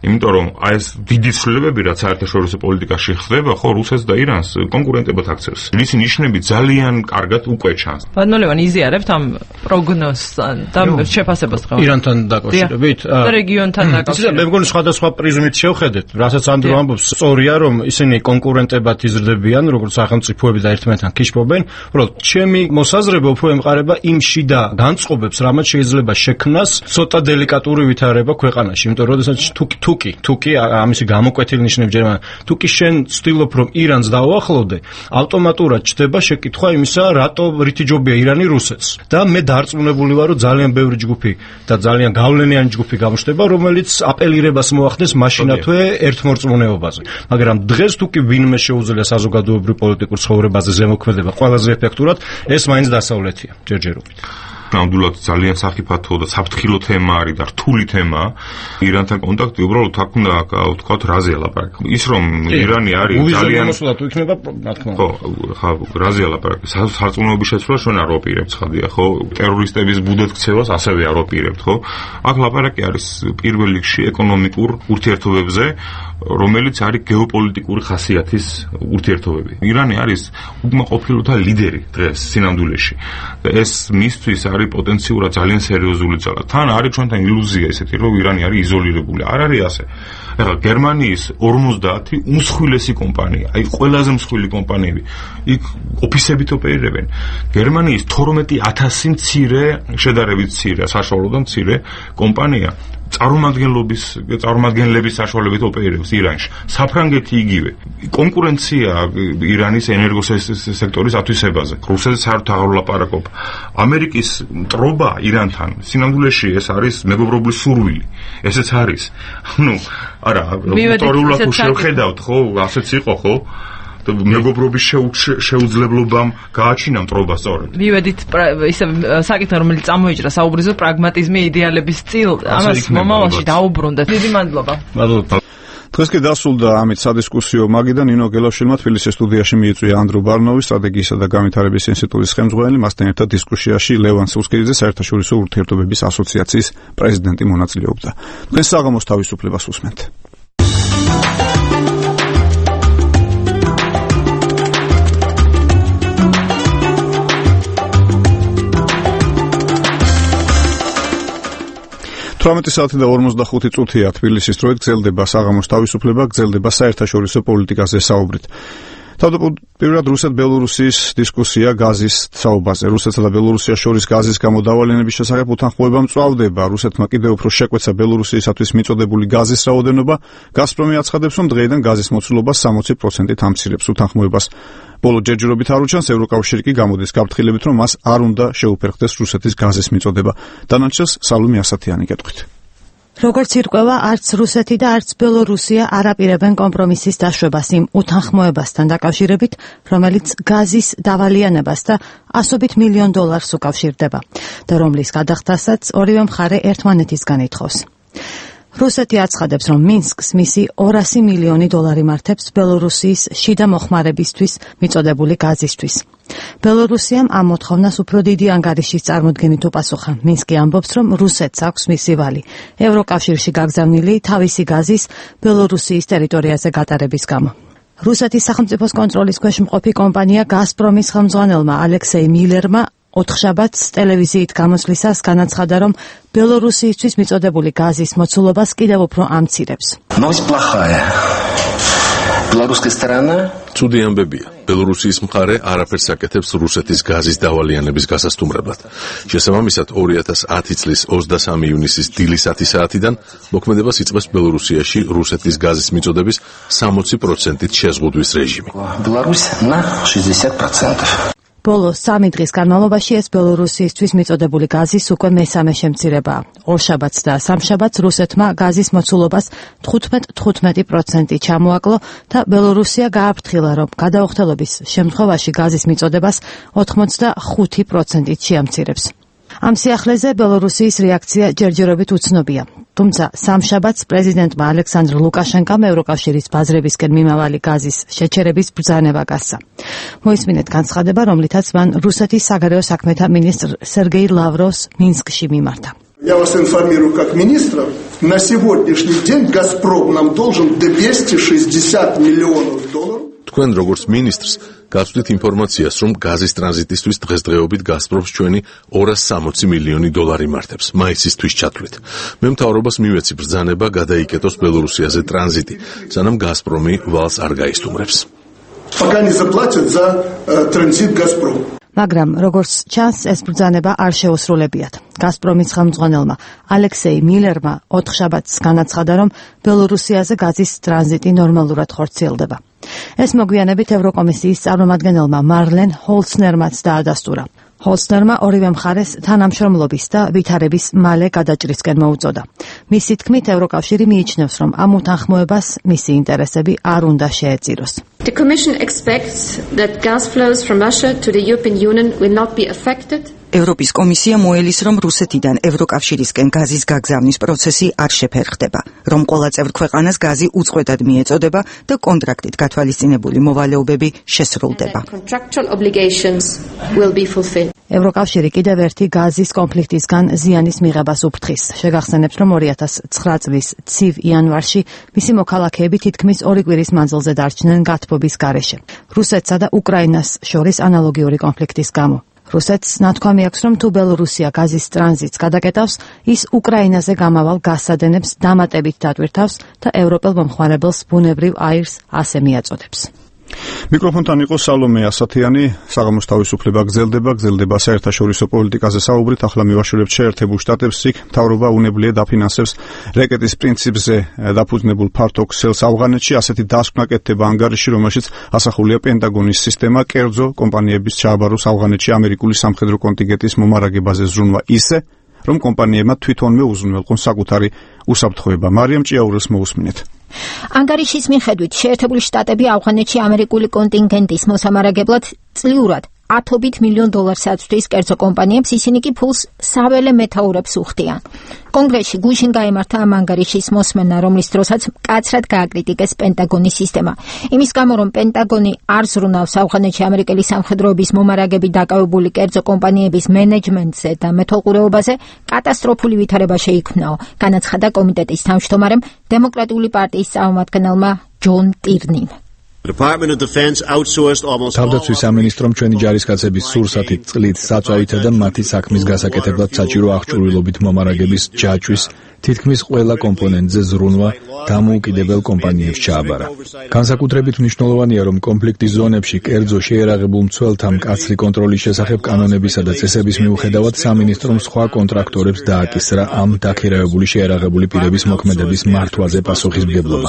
იმიტომ რომ აი ეს დიდი ცვლილებები, რაც საერთაშორისო პოლიტიკაში ხდება, ხო, რუსეთს და ირანს კონკურენტებად აქცევს. მისი ნიშნები ძალიან კარგად უკვე ჩანს. ბატონო, იზიარებთ ამ პროგნოზს და შეფასებას დღეს ირანთან დაკავშირებით და რეგიონთან დაკავშირებით. მე მგონი სხვადასხვა პრიზმით შევხედეთ, რასაც ანდრო ამბობს, სწორია, რომ ისინი კონკურენტებად იზრდებიან, როგორც სახელმწიფოები და ერთმანეთთან ქიშფობენ. უბრალოდ ჩემი მოსაზრება უფრო ემყარება იმ შიდა განწყობებს, რამაც შეიძლება შექმნას ცოტა დელიკატური ვითარება ქვეყანაში, იმიტომ რომ როდესაც თუკი ამისი გამოკვეთილი ნიშნები ჯერმან თუკი შენ ცდილობ რომ ირანს დაუახლოვდე, ავტომატურად ჩდება შეკითხვა იმისა, რატო რითი ჯობია ირანი რუსეთს. და მე დარწმუნებული ვარ, რომ ძალიან ბევრი ჯგუფი და ძალიან გავლენიანი ჯგუფი გამოჩნდება, რომელიც აპელირებას მოახდენს მაშინათვე ერთმორწმუნეობაზე. მაგრამ დღეს თუკი ვინმე შეუძლია საზოგადოებრივ პოლიტიკურ ცხოვრებაზე ზემოქმედება ყველაზე ეფექტურად, ეს მაინც დასავლეთია ჯერჯერობით. ნამდვილად ძალიან საფრთხო და საფრთხილო თემა არის და რთული თემა. ირანთან კონტაქტი უბრალოდ აქ უნდა ვთქვათ რაზე ლაპარაკი. ის რომ ირანი არის ძალიან მოსულად თუ იქნება, რა თქმა უნდა. ხო, რაზე ლაპარაკი. სარწმუნოების შეცვლას ჩვენ არ ვაპირებთ, ხადია, ხო? ტერორისტების ბუდეთ ქცევას ასევე არ ვაპირებთ, ხო? აქ ლაპარაკი არის პირველ რიგში ეკონომიკურ ურთიერთობებზე, რომელიც არის გეოპოლიტიკური ხასიათის ურთიერთობები. ირანი არის უკმაყოფილოთა ლიდერი დღეს სინამდვილეში. და ეს მისთვის არის პოტენციურად ძალიან სერიოზული ძალა. თან არის ჩვენთან ილუზია ესეთი, რომ ირანი არის იზოლირებული. არ არის ასე. ეხლა გერმანიის 50 უმსხვილესი კომპანია, აი ყველაზე მსხვილი კომპანიები, იქ ოფისებით ოპერირებენ. გერმანიის 12,000 მცირე, შედარებით მცირე, საშუალო და მცირე კომპანია წარმომადგენლების საშუალებით ოპერირებს ირანში. საფრანგეთი იგივე. კონკურენცია ირანის ენერგოსექტორის ათვისებაზე. რუსეთს არ თაღლაპარაკობ. ამერიკის მტრობა ირანთან სინამდვილეში ეს არის მეგობრობის სურვილი. ესეც არის. არა, ისტორიულად შევხედავთ, ხო, ასეც იყო, ხო? მეგობრობის შეუძლებლობამ გააჩინა მტრობა სწორედ. მივედით ისე საკითხი რომელიც წამოიჭრა საუბრისო პრაგმატიზმი იდეალების წილ ამას მომავალში დაუბრუნდეთ. დიდი მადლობა. მადლობა. დღეს კი დასრულდა ამით სადისკუსიო მაგიდან ნინო გელაშვილმა თბილისის სტუდიაში მიიწვია ანდრო ბარნოვი სტრატეგიისა და განვითარების ინსტიტუტის ხელმძღვანელი, მასთან ერთად დისკუსიაში ლევან სუსკელიძე საერთაშორისო ურთიერთობების ასოციაციის პრეზიდენტი მონაწილეობდა. დღეს საღამოს თავისუფლებას უსმენთ. საათი და 45 წუთია თბილისის დროით გრძელდება საღამოს თავისუფლება, გრძელდება საერთაშორისო პოლიტიკაზე საუბრით. თავდაპირველად რუსეთ-ბელორუსიის დისკუსია გაზის საუბარზე. რუსეთსა და ბელორუსიას შორის გაზის გამოდავლენების შესახებ უთანხმოება მწვავდება. რუსეთმა კიდევ უფრო შეკვეცა ბელორუსიისათვის მიწოდებული გაზის რაოდენობა. გაზპრომი აცხადებს, რომ დღეიდან გაზის მოცულობა 60%-ით ამცირებს უთანხმოებას. ბოლო ჯერჯერობით არ უჩანს, ევროკავშირი კი გამოდის გაფრთხილებით, რომ მას არ უნდა შეუფერხდეს რუსეთის გაზის მიწოდება. დანარჩენს სალომე ასათიანი გეტყვით. როგორც ირკვევა, არც რუსეთი და არც ბელორუსია არ აპირებენ კომპრომისის დაშვებას იმ უთანხმოებასთან დაკავშირებით, რომელიც გაზის დავალიანებას და $100 მილიონ უკავშირდება და რომლის გადახდასაც ორივე მხარე ერთმანეთისგან ითხოვს. რუსეთი აცხადებს, რომ მინსკს მისი $200 მილიონი მართებს ბელორუსიის შიდა მოხმარებისთვის მიწოდებული გაზისთვის. ბელორუსიამ ამ მოთხოვნას უფრო დიდი ანგარიშის წარმოდგენით უპასუხა. მინსკი ამბობს, რომ რუსეთს აქვს მისი ვალი ევროკავშირში გაგზავნილი თავისი გაზის ბელორუსიის ტერიტორიაზე გატარების გამო. რუსეთის სახელმწიფოს კონტროლის ქვეშ მყოფი კომპანია გაზპრომის ხელმძღვანელმა ალექსეი მილერმა ოთხშაბათს ტელევიზიით გამოსვლისას განაცხადა, რომ ბელორუსიისთვის მიწოდებული გაზის მოცულობას კიდევ უფრო ამცირებს. ცუდი ამბებია. ბელორუსიის მხარე არაფერს აკეთებს რუსეთის გაზის დავალიანების გასასტუმრებლად. შესაბამისად 2010 წლის 23 ივნისის დილის 10 საათიდან მოქმედებას იწყებს ბელორუსიაში რუსეთის გაზის მიწოდების 60%-ით შეზღუდვის რეჟიმი. ბოლო 3 დღის განმავლობაში ეს ბელორუსიისთვის მიწოდებული გაზის უკვე მესამე შემცირებაა. ორშაბათს და სამშაბათს რუსეთმა გაზის მოცულობას 15% ჩამოაკლო და ბელორუსია გააფრთხილა, რომ გადაუხდელობის შემთხვევაში გაზის მიწოდებას 85%-ით შეამცირებს. ამ სიახლეზე ბელორუსიის რეაქცია ჯერჯერობით უცნობია. თუმცა სამშაბათს პრეზიდენტმა ალექსანდრ ლუკაშენკომ ევროკავშირის ბაზრებისკენ მიმავალი გაზის შეჩერების ბრძანება გასცა. მოისმინეთ განცხადება, რომლითაც მან რუსეთის საგარეო საქმეთა მინისტრ სერგეი ლავროვს მინსკში მიმართა. Я вас информирую как министра, на сегодняшний день «Газпром» нам должен $260 миллионов. თქვენ როგორც მინისტრს გაცვდით ინფორმაციას, რომ გაზის ტრანზიტისთვის დღესდღეობით გაზპრომს ჩვენი $260 მილიონი მართებს მაისისთვის ჩათვლით. მე მთავრობას მივეცი ბრძანება გადაიკეტოს ბელორუსიაზე ტრანზიტი, სანამ გაზპრომი ვალს არ გაისტუმრებს. Пока не заплатят за транзит «Газпром». მაგრამ როგორც ჩანს, ეს ბრძანება არ შეუსრულებიათ. გაზპრომის ხელმძღვანელმა ალექსეი მილერმა ოთხშაბათს განაცხადა, რომ ბელორუსიაზე გაზის ტრანზიტი ნორმალურად ხორციელდება. ეს მოგვიანებით ევროკომისიის წარმომადგენელმა მარლენ ჰოლცნერმაც დაადასტურა. ჰოლცნერმა ორივე მხარეს თანამშრომლობის და ვითარების მალე გადაჭრისკენ მოუწოდა. მისი თქმით, ევროკავშირი მიიჩნევს, რომ ამ უთანხმოებას მისი ინტერესები არ უნდა შეეწიროს. The Commission expects that gas flows from Russia to the European Union will not be affected. ევროპის კომისია მოელის, რომ რუსეთიდან ევროკავშირისკენ გაზის გაგზავნის პროცესი არ შეფერხდება, რომ ყველა წევრ ქვეყანას გაზი უწყვეტად მიეწოდება და კონტრაქტით გათვალისწინებული მოვალეობები შესრულდება. ევროკავშირი კიდევ ერთი გაზის კონფლიქტისგან ზიანის მიღებას უფრთხის. შეგახსენებთ, რომ 2009 წლის ცივ იანვარში მისი მოქალაქეები თითქმის 2 კვირის მანძილზე დარჩნენ გათბობის გარეშე. რუსეთსა და უკრაინას შორის ანალოგიური კონფლიქტის გამო. რუსეთს ნათქვამი აქვს, რომ თუ ბელორუსია გაზის ტრანზიტს გადაკეტავს, ის უკრაინაზე გამავალ გაზსადენებს დამატებით დატვირთავს და ევროპელ მომხმარებელს ბუნებრივ აირს ასე მიაწოდებს. მიკროფონთან იყო სალომე ასათიანი, საღამოს თავისუფლება გრძელდება საერთაშორისო პოლიტიკაზე საუბრით, ახლა მივაშორებთ შეერთებულ შტატებს, იქ მთავრობა უნებლიე დაფინანსებს რეკეტის პრინციპზე დაფუძნებულ ფართო ქსელს ავღანეთში, ასეთი დასკვნა კეთდება ანგარიში, რომელშიც ასახულია პენტაგონის სისტემა, კერძო კომპანიების ჩააბაროს ავღანეთში ამერიკული სამხედრო კონტინგენტის მომარაგებაზე ზრუნვა ისე, რომ კომპანიებმა თვითონვე უზრუნველყონ საკუთარი უსაფრთხოება. მარიამ ჭიაურელს მოусმინეთ. ანგარიშის მიხედვით შეერთებული შტატები ავღანეთში ამერიკული კონტინგენტის მოსამარაგებლად წლიურად $10 მილიონ აწვდის კერძო კომპანიებს, ისინი კი ფულს საველე მეთაურებს უხდიან. კონგრესში გუშინ გაიმართა ამ ანგარიშის მოსმენა, რომლის დროსაც მკაცრად გააკრიტიკეს პენტაგონის სისტემა. იმის გამო, რომ პენტაგონი არ ზრუნავს ავღანეთში ამერიკელი სამხედროების მომარაგებით დაკავებული კერძო კომპანიების მენეჯმენტზე და მეთვალყურეობაზე კატასტროფული ვითარება შეიქმნაო, განაცხადა კომიტეტის თავმჯდომარემ დემოკრატიული პარტიის წარმომადგენელმა ჯონ ტირნიმ. თავდაცვის სამინისტრომ ჩვენი ჯარისკაცების სურსათით წყლით საწვავითა და მათი საქმის გასაკეთებლად საჭირო აღჭურვილობით მომარაგების ჯაჭვის თითქმის ყველა კომპონენტზე ზრუნვა დამოუკიდებელ კომპანიებს ჩააბარა. განსაკუთრებით მნიშვნელოვანია, რომ კონფლიქტის ზონებში კერძო შეიარაღებულ მცველთა მკაცრი კონტროლის შესახებ კანონებისა და წესების მიუხედავად სამინისტრომ სხვა კონტრაქტორებს დააკისრა ამ დაქირავებული შეიარაღებული პირების მოქმედების მართვაზე პასუხისმგებლობა.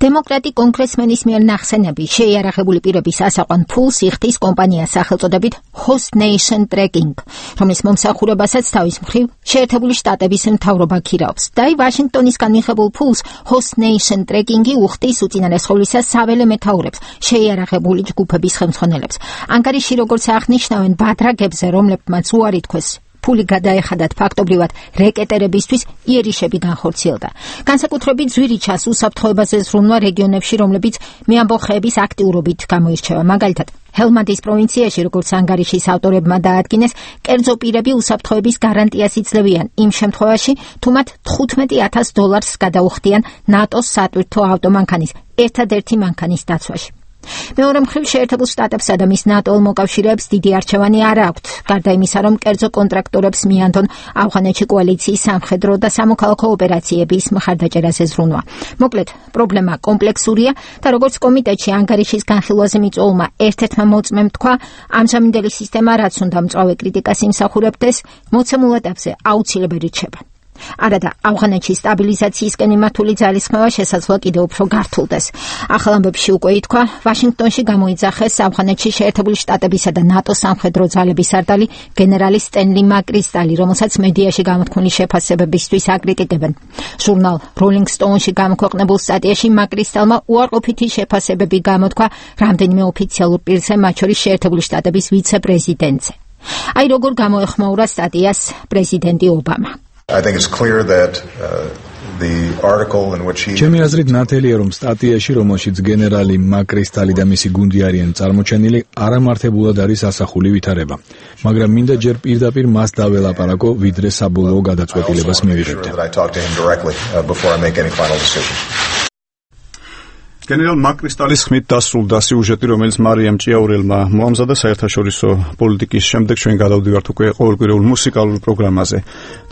დემოკრატი კონგრესმენის მიერ ნახსენები შეიარაღებული პირების ასაყვან ფულს იხდის კომპანიას სახელწოდებით Host Nation Tracking, რომლის მომსახურებასაც თავის მხრივ შეერთებული შტატების მთავრობა ქირაობს. და ვაშინგტონისგან მიღებულ ფულს Host Nation Tracking-ი უხდის უწინარესხოვლისა საველე მეთაურებს, შეიარაღებული ჯგუფების ხელმძღვანელებს. ანგარიში, როგორც აღნიშნავენ, ბადრაგებზე, რომლებმაც უარი თქვეს ფული გადაეხადათ ფაქტობრივად რეკეტერებისთვის, იერიშები განხორციელდა. განსაკუთრებით ძვირიჩას უსაფრთხოებაზე ზრუნვა რეგიონებში, რომლებიც მეამბოხეების აქტიურობით გამოირჩევა. მაგალითად, ჰელმანდის პროვინციაში, როგორც ანგარიშის ავტორებმა დაადგინეს, კერძო პირები უსაფრთხოების გარანტიას იძლევიან იმ შემთხვევაში, თუ მათ $15,000 გადაუხდიან ნატოს სატვირთო ავტომანქანის, ერთადერთი მანქანის დაცვაში. მეორე მხრივ შეერთებულ შტატებსა და მის ნატო მოკავშირეებს დიდი არჩევანი არ აქვთ, გარდა იმისა, რომ კერძო კონტრაქტორებს მიანდონ ავღანეთში კოალიციის სამხედრო და სამოქალაქო ოპერაციების მხარდაჭერაზე ზრუნვა. მოკლედ, პრობლემა კომპლექსურია და როგორც კომიტეტში ანგარიშის განხილვაზე მიწვეულმა ერთ-ერთმა მოწმემ თქვა, ამჟამინდელი სისტემა, რაც უნდა მწვავე კრიტიკას იმსახურებდეს, მოცემულ ეტაპზე აუცილებელი რჩება. არადა ავღანეთში სტაბილიზაციისკენ მიმართული ძალისხმევა შესაძლოა კიდევ უფრო გართულდეს. ახალ ამბებში უკვე ითქვა, ვაშინგტონში გამოიძახეს ავღანეთში შეერთებული შტატებისა და ნატოს სამხედრო ძალების სარდალი გენერალი სტენლი მაკრისტალი, რომელსაც მედიაში გამოთქმული შეფასებებისთვის აკრიტიკებენ. ჟურნალ Rolling Stone-ში გამოქვეყნებულ სტატიაში მაკრისტალმა უარყოფითი შეფასებები გამოთქვა რამდენიმე ოფიციალურ პირზე, მათ შორის შეერთებული შტატების ვიცე-პრეზიდენტზე. აი როგორ გამოეხმაურა სტატიას პრეზიდენტი ობამა. I think it's clear that the article in which he ჩემი აზრით ნათელია, რომ სტატიაში, რომელშიც გენერალი მაკრისტალი და მისი გუნდი არიან წარმოჩენილი, არამართებულად არის ასახული ვითარება. მაგრამ მინდა ჯერ პირდაპირ მას დაველაპარაკო, ვიდრე საბოლოო გადაწყვეტილებას მივიღებდე. გენერალ მაკრისტალის ხმით დასრულდა სიუჟეტი, რომელიც მარიამ ჭიაურელმა მოამზადა საერთაშორისო პოლიტიკის შემდეგ. ჩვენ გადავდივართ უკვე ყოველკვირეულ მუსიკალურ პროგრამაზე.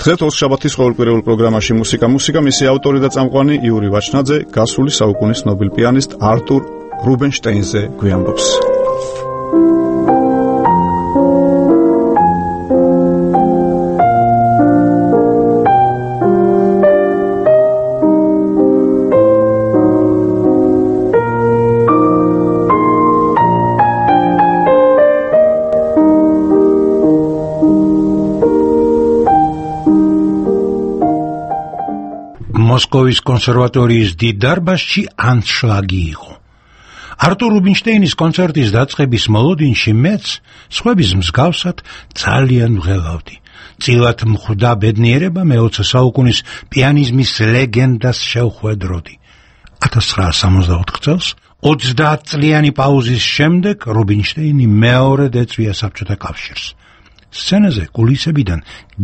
დღეს ოთხშაბათის ყოველკვირეულ პროგრამაში მუსიკა, მისი ავტორი და წამყვანი იური ვაჩნაძე გასული საუკუნის ნობელ პიანისტ არტურ რუბინშტეინზე გვიამბობს. მოსკოვის კონსერვატორიის დიდ დარბაზში ანშლაგი იყო. არტურ რუბინშტეინის კონცერტის დაწყების მოლოდინში მეც, სხვების მსგავსად, ძალიან ვღელავდი. წილად მხვდა ბედნიერება მე-20 საუკუნის პიანიზმის ლეგენდას შევხვედროდი. 1964 წელს 30 წლიანი პაუზის შემდეგ რუბინშტეინი მეორედ ეწვია საბჭოთა კავშირს. სცენაზე კულისებიდან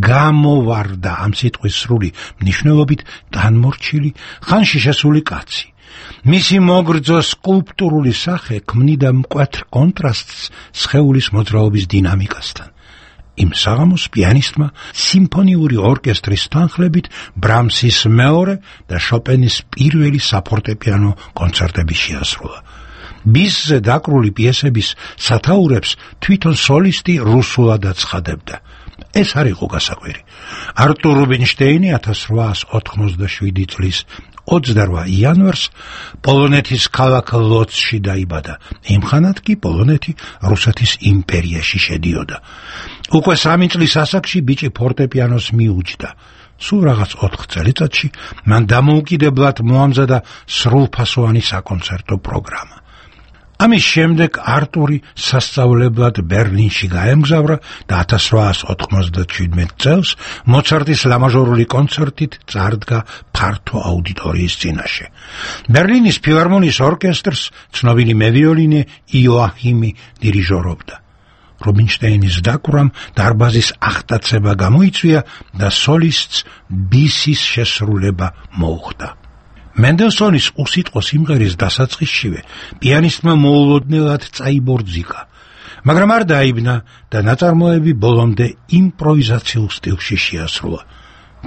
გამოვარდა ამ სიტყვის სრული მნიშვნელობით განმორჩილი, ხანში შესული კაცი. მისი მოგრძო სკულპტურული სახე ქმნიდა მკვეთრ კონტრასტს სხეულის მოძრაობის დინამიკასთან. იმ საღამოს პიანისტმა სიმფონიური ორკესტრის თანხლებით ბრამსის მეორე და შოპენის პირველი საფორტეპიანო კონცერტები შეასრულა. ბისზე დაკრული პიესების სათაურებს თვითონ სოლისტი რუსულად აცხადებდა. ეს არ იყო გასაკვირი. არტურ რუბინშტეინი 1887 წლის 28 იანვარს პოლონეთის ქალაქ ლოცში დაიბადა. იმხანად კი პოლონეთი რუსეთის იმპერიაში შედიოდა. უკვე 3 წლის ასაკში ბიჭი ფორტეპიანოს მიუჯდა. სულ რაღაც 4 წელიწადში მან დამოუკიდებლად მოამზადა სრულფასოვანი საკონცერტო პროგრამა. ამის შემდეგ არტური სასწავლებლად ბერლინში გაემგზავრა და 1897 წელს მოცარტის ლამაჟორული კონცერტით წარდგა ფართო აუდიტორიის წინაშე. ბერლინის ფილარმონიის ორკესტრს ცნობილი მევიოლინე იოაჰიმი დირიჟორობდა. რუბინშტეინის დაკვრამ დარბაზის აღტაცება გამოიწვია და სოლისტს ბისის შესრულება მოუხდა. მენდელსონის უსიტყვო სიმღერის დასაწყისშივე პიანისტმა მოულოდნელად წაიბორძიკა, მაგრამ არ დაიბნა და ნაწარმოები ბოლომდე იმპროვიზაციულ სტილში შეასრულა.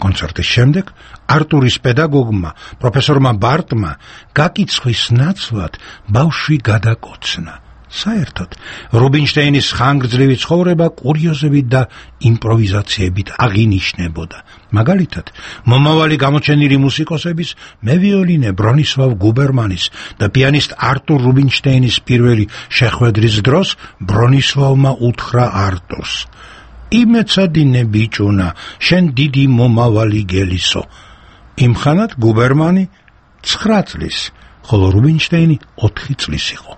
კონცერტის შემდეგ არტურის პედაგოგმა, პროფესორმა ბარტმა გაკიცხვის ნაცვლად ბავშვი გადაკოცნა. საერთოდ რუბინშტეინის ხანგრძლივი ცხოვრება კურიოზებით და იმპროვიზაციებით აღინიშნებოდა. მაგალითად, მომავალი გამოჩენილი მუსიკოსების, მევიოლინე ბრონისლავ გუბერმანის და პიანისტ არტურ რუბინშტეინის პირველი შეხვედრის დროს ბრონისლავმა უთხრა არტურს: „იმეცადინე ბიჭუნა, შენ დიდი მომავალი გელისო“. იმხანად გუბერმანი 9 წლის, ხოლო რუბინშტეინი 4 წლის იყო.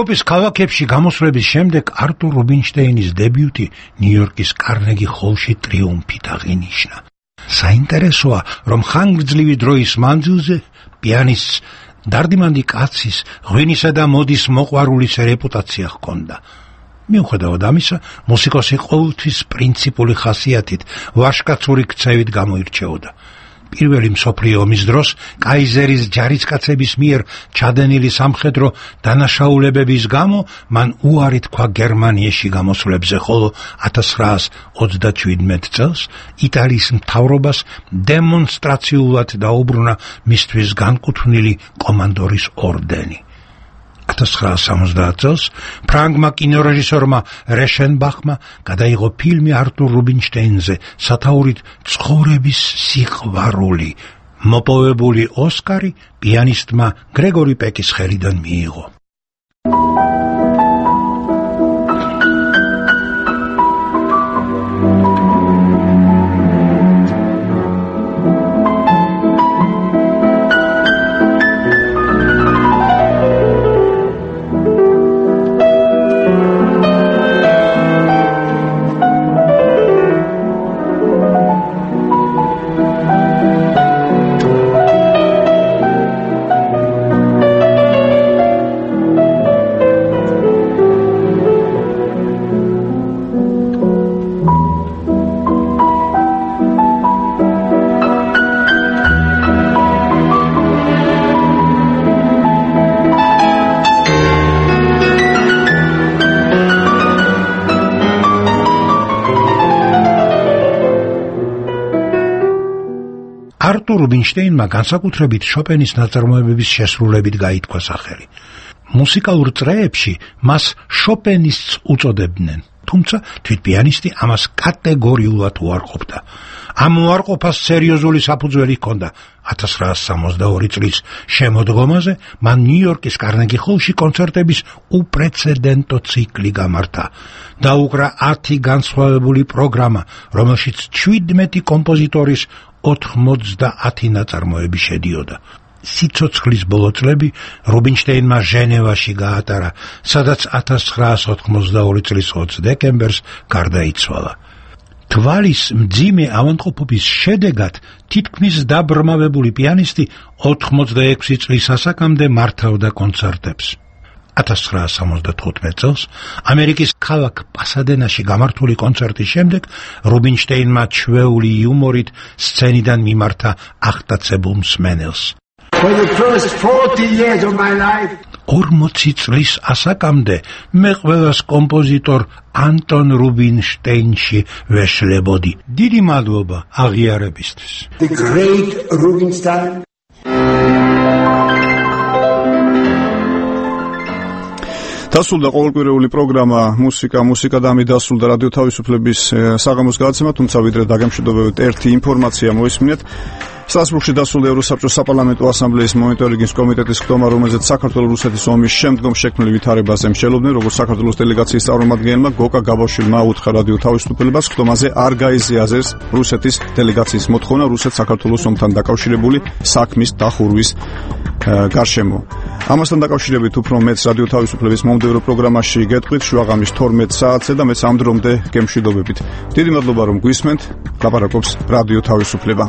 ევროპის ქალაქებში გამოსვლების შემდეგ არტურ რუბინშტეინის დებიუტი ნიუ-იორკის კარნეგი ჰოლში ტრიუმფით აღინიშნა. საინტერესოა, რომ ხანგრძლივი დროის მანძილზე პიანისტს დარდიმანდი კაცის, ღვინისა და მოდის მოყვარულის რეპუტაცია ჰქონდა. მიუხედავად ამისა, მუსიკოსი ყოველთვის პრინციპული ხასიათით, ვაჟკაცური ქცევით გამოირჩეოდა. პირველი მსოფლიო ომის დროს კაიზერის ჯარისკაცების მიერ ჩადენილი სამხედრო დანაშაულებების გამო მან უარი თქვა გერმანიაში გამოსვლებზე, ხოლო 1937 წელს იტალიის მთავრობას დემონსტრაციულად დაუბრუნა მისთვის განკუთვნილი კომანდორის ორდენი. 1970 წელს ფრანგმა კინორეჟისორმა რეშენბახმა გადაიღო ფილმი არტურ რუბინშტეინზე სათაურით ცხოვრების სიყვარული. მოპოვებული ოსკარი პიანისტმა გრეგორი პეკის ხელიდან მიიღო. არტურ რუბინშტეინმა განსაკუთრებით შოპენის ნაწარმოებების შესრულებით გაითქვა სახელი. მუსიკალურ წრეებში მას შოპენისტს უწოდებდნენ, თუმცა თვით პიანისტი ამას კატეგორიულად უარყოფდა. ამ უარყოფას სერიოზული საფუძველი ჰქონდა. 1962 წლის შემოდგომაზე მან ნიუ-იორკის კარნეგი ჰოლში კონცერტების უპრეცედენტო ციკლი გამართა. დაუკრა 10 განსხვავებული პროგრამა, რომელშიც 17 კომპოზიტორის 90 ნაწარმოები შედიოდა. სიცოცხლის ბოლო წლები რუბინშტეინმა ჟენევაში გაატარა, სადაც 1992 წლის 20 დეკემბერს გარდაიცვალა. თვალის მძიმე ავადმყოფობის შედეგად თითქმის დაბრმავებული პიანისტი 86 წლის ასაკამდე მართავდა კონცერტებს. 1975 წელს ამერიკის ქალაქ პასადენაში გამართული კონცერტის შემდეგ რუბინშტეინმა ჩვეული იუმორით სცენიდან მიმართა აღტაცებულ მსმენელს. 40 წლის ასაკამდე მე ყველას კომპოზიტორ ანტონ რუბინშტეინში ვეშლებოდი. დიდი მადლობა აღიარებისთვის. The great Rubinstein. დასრულდა ყოველკვირეული პროგრამა მუსიკა და ამით დასრულდა რადიო თავისუფლების საღამოს გადაცემა, თუმცა ვიდრე დაგემშვიდობებით ერთი ინფორმაცია მოისმინეთ. სტრასბურგში დასრულდა ევროსაბჭოს საპარლამენტო ასამბლეის მონიტორინგის კომიტეტის ხდომა, რომელზეც საქართველოს-რუსეთის ომის შემდგომ შექმნილი ვითარებაზე მსჯელობდნენ, როგორც საქართველოს დელეგაციის წარმომადგენელმა გოკა გაბაშვილმა აუთხა რადიო თავისუფლებას ხდომაზე არ გაიზიაზეს რუსეთის დელეგაციის მოთხოვნა რუსეთ-საქართველოს ომთან დაკავშირებული საქმის დახურვის გარშემო. ამასთან დაკავშირებით უფრო მეც რადიო თავისუფლების მომდევნო პროგრამაში გეტყვით შუაღამის 12 საათზე და მეც ამ დრომდე გემშვიდობებით. დიდი მადლობა რომ გვისმენთ. ლაპარაკობს რადიო თავისუფლება.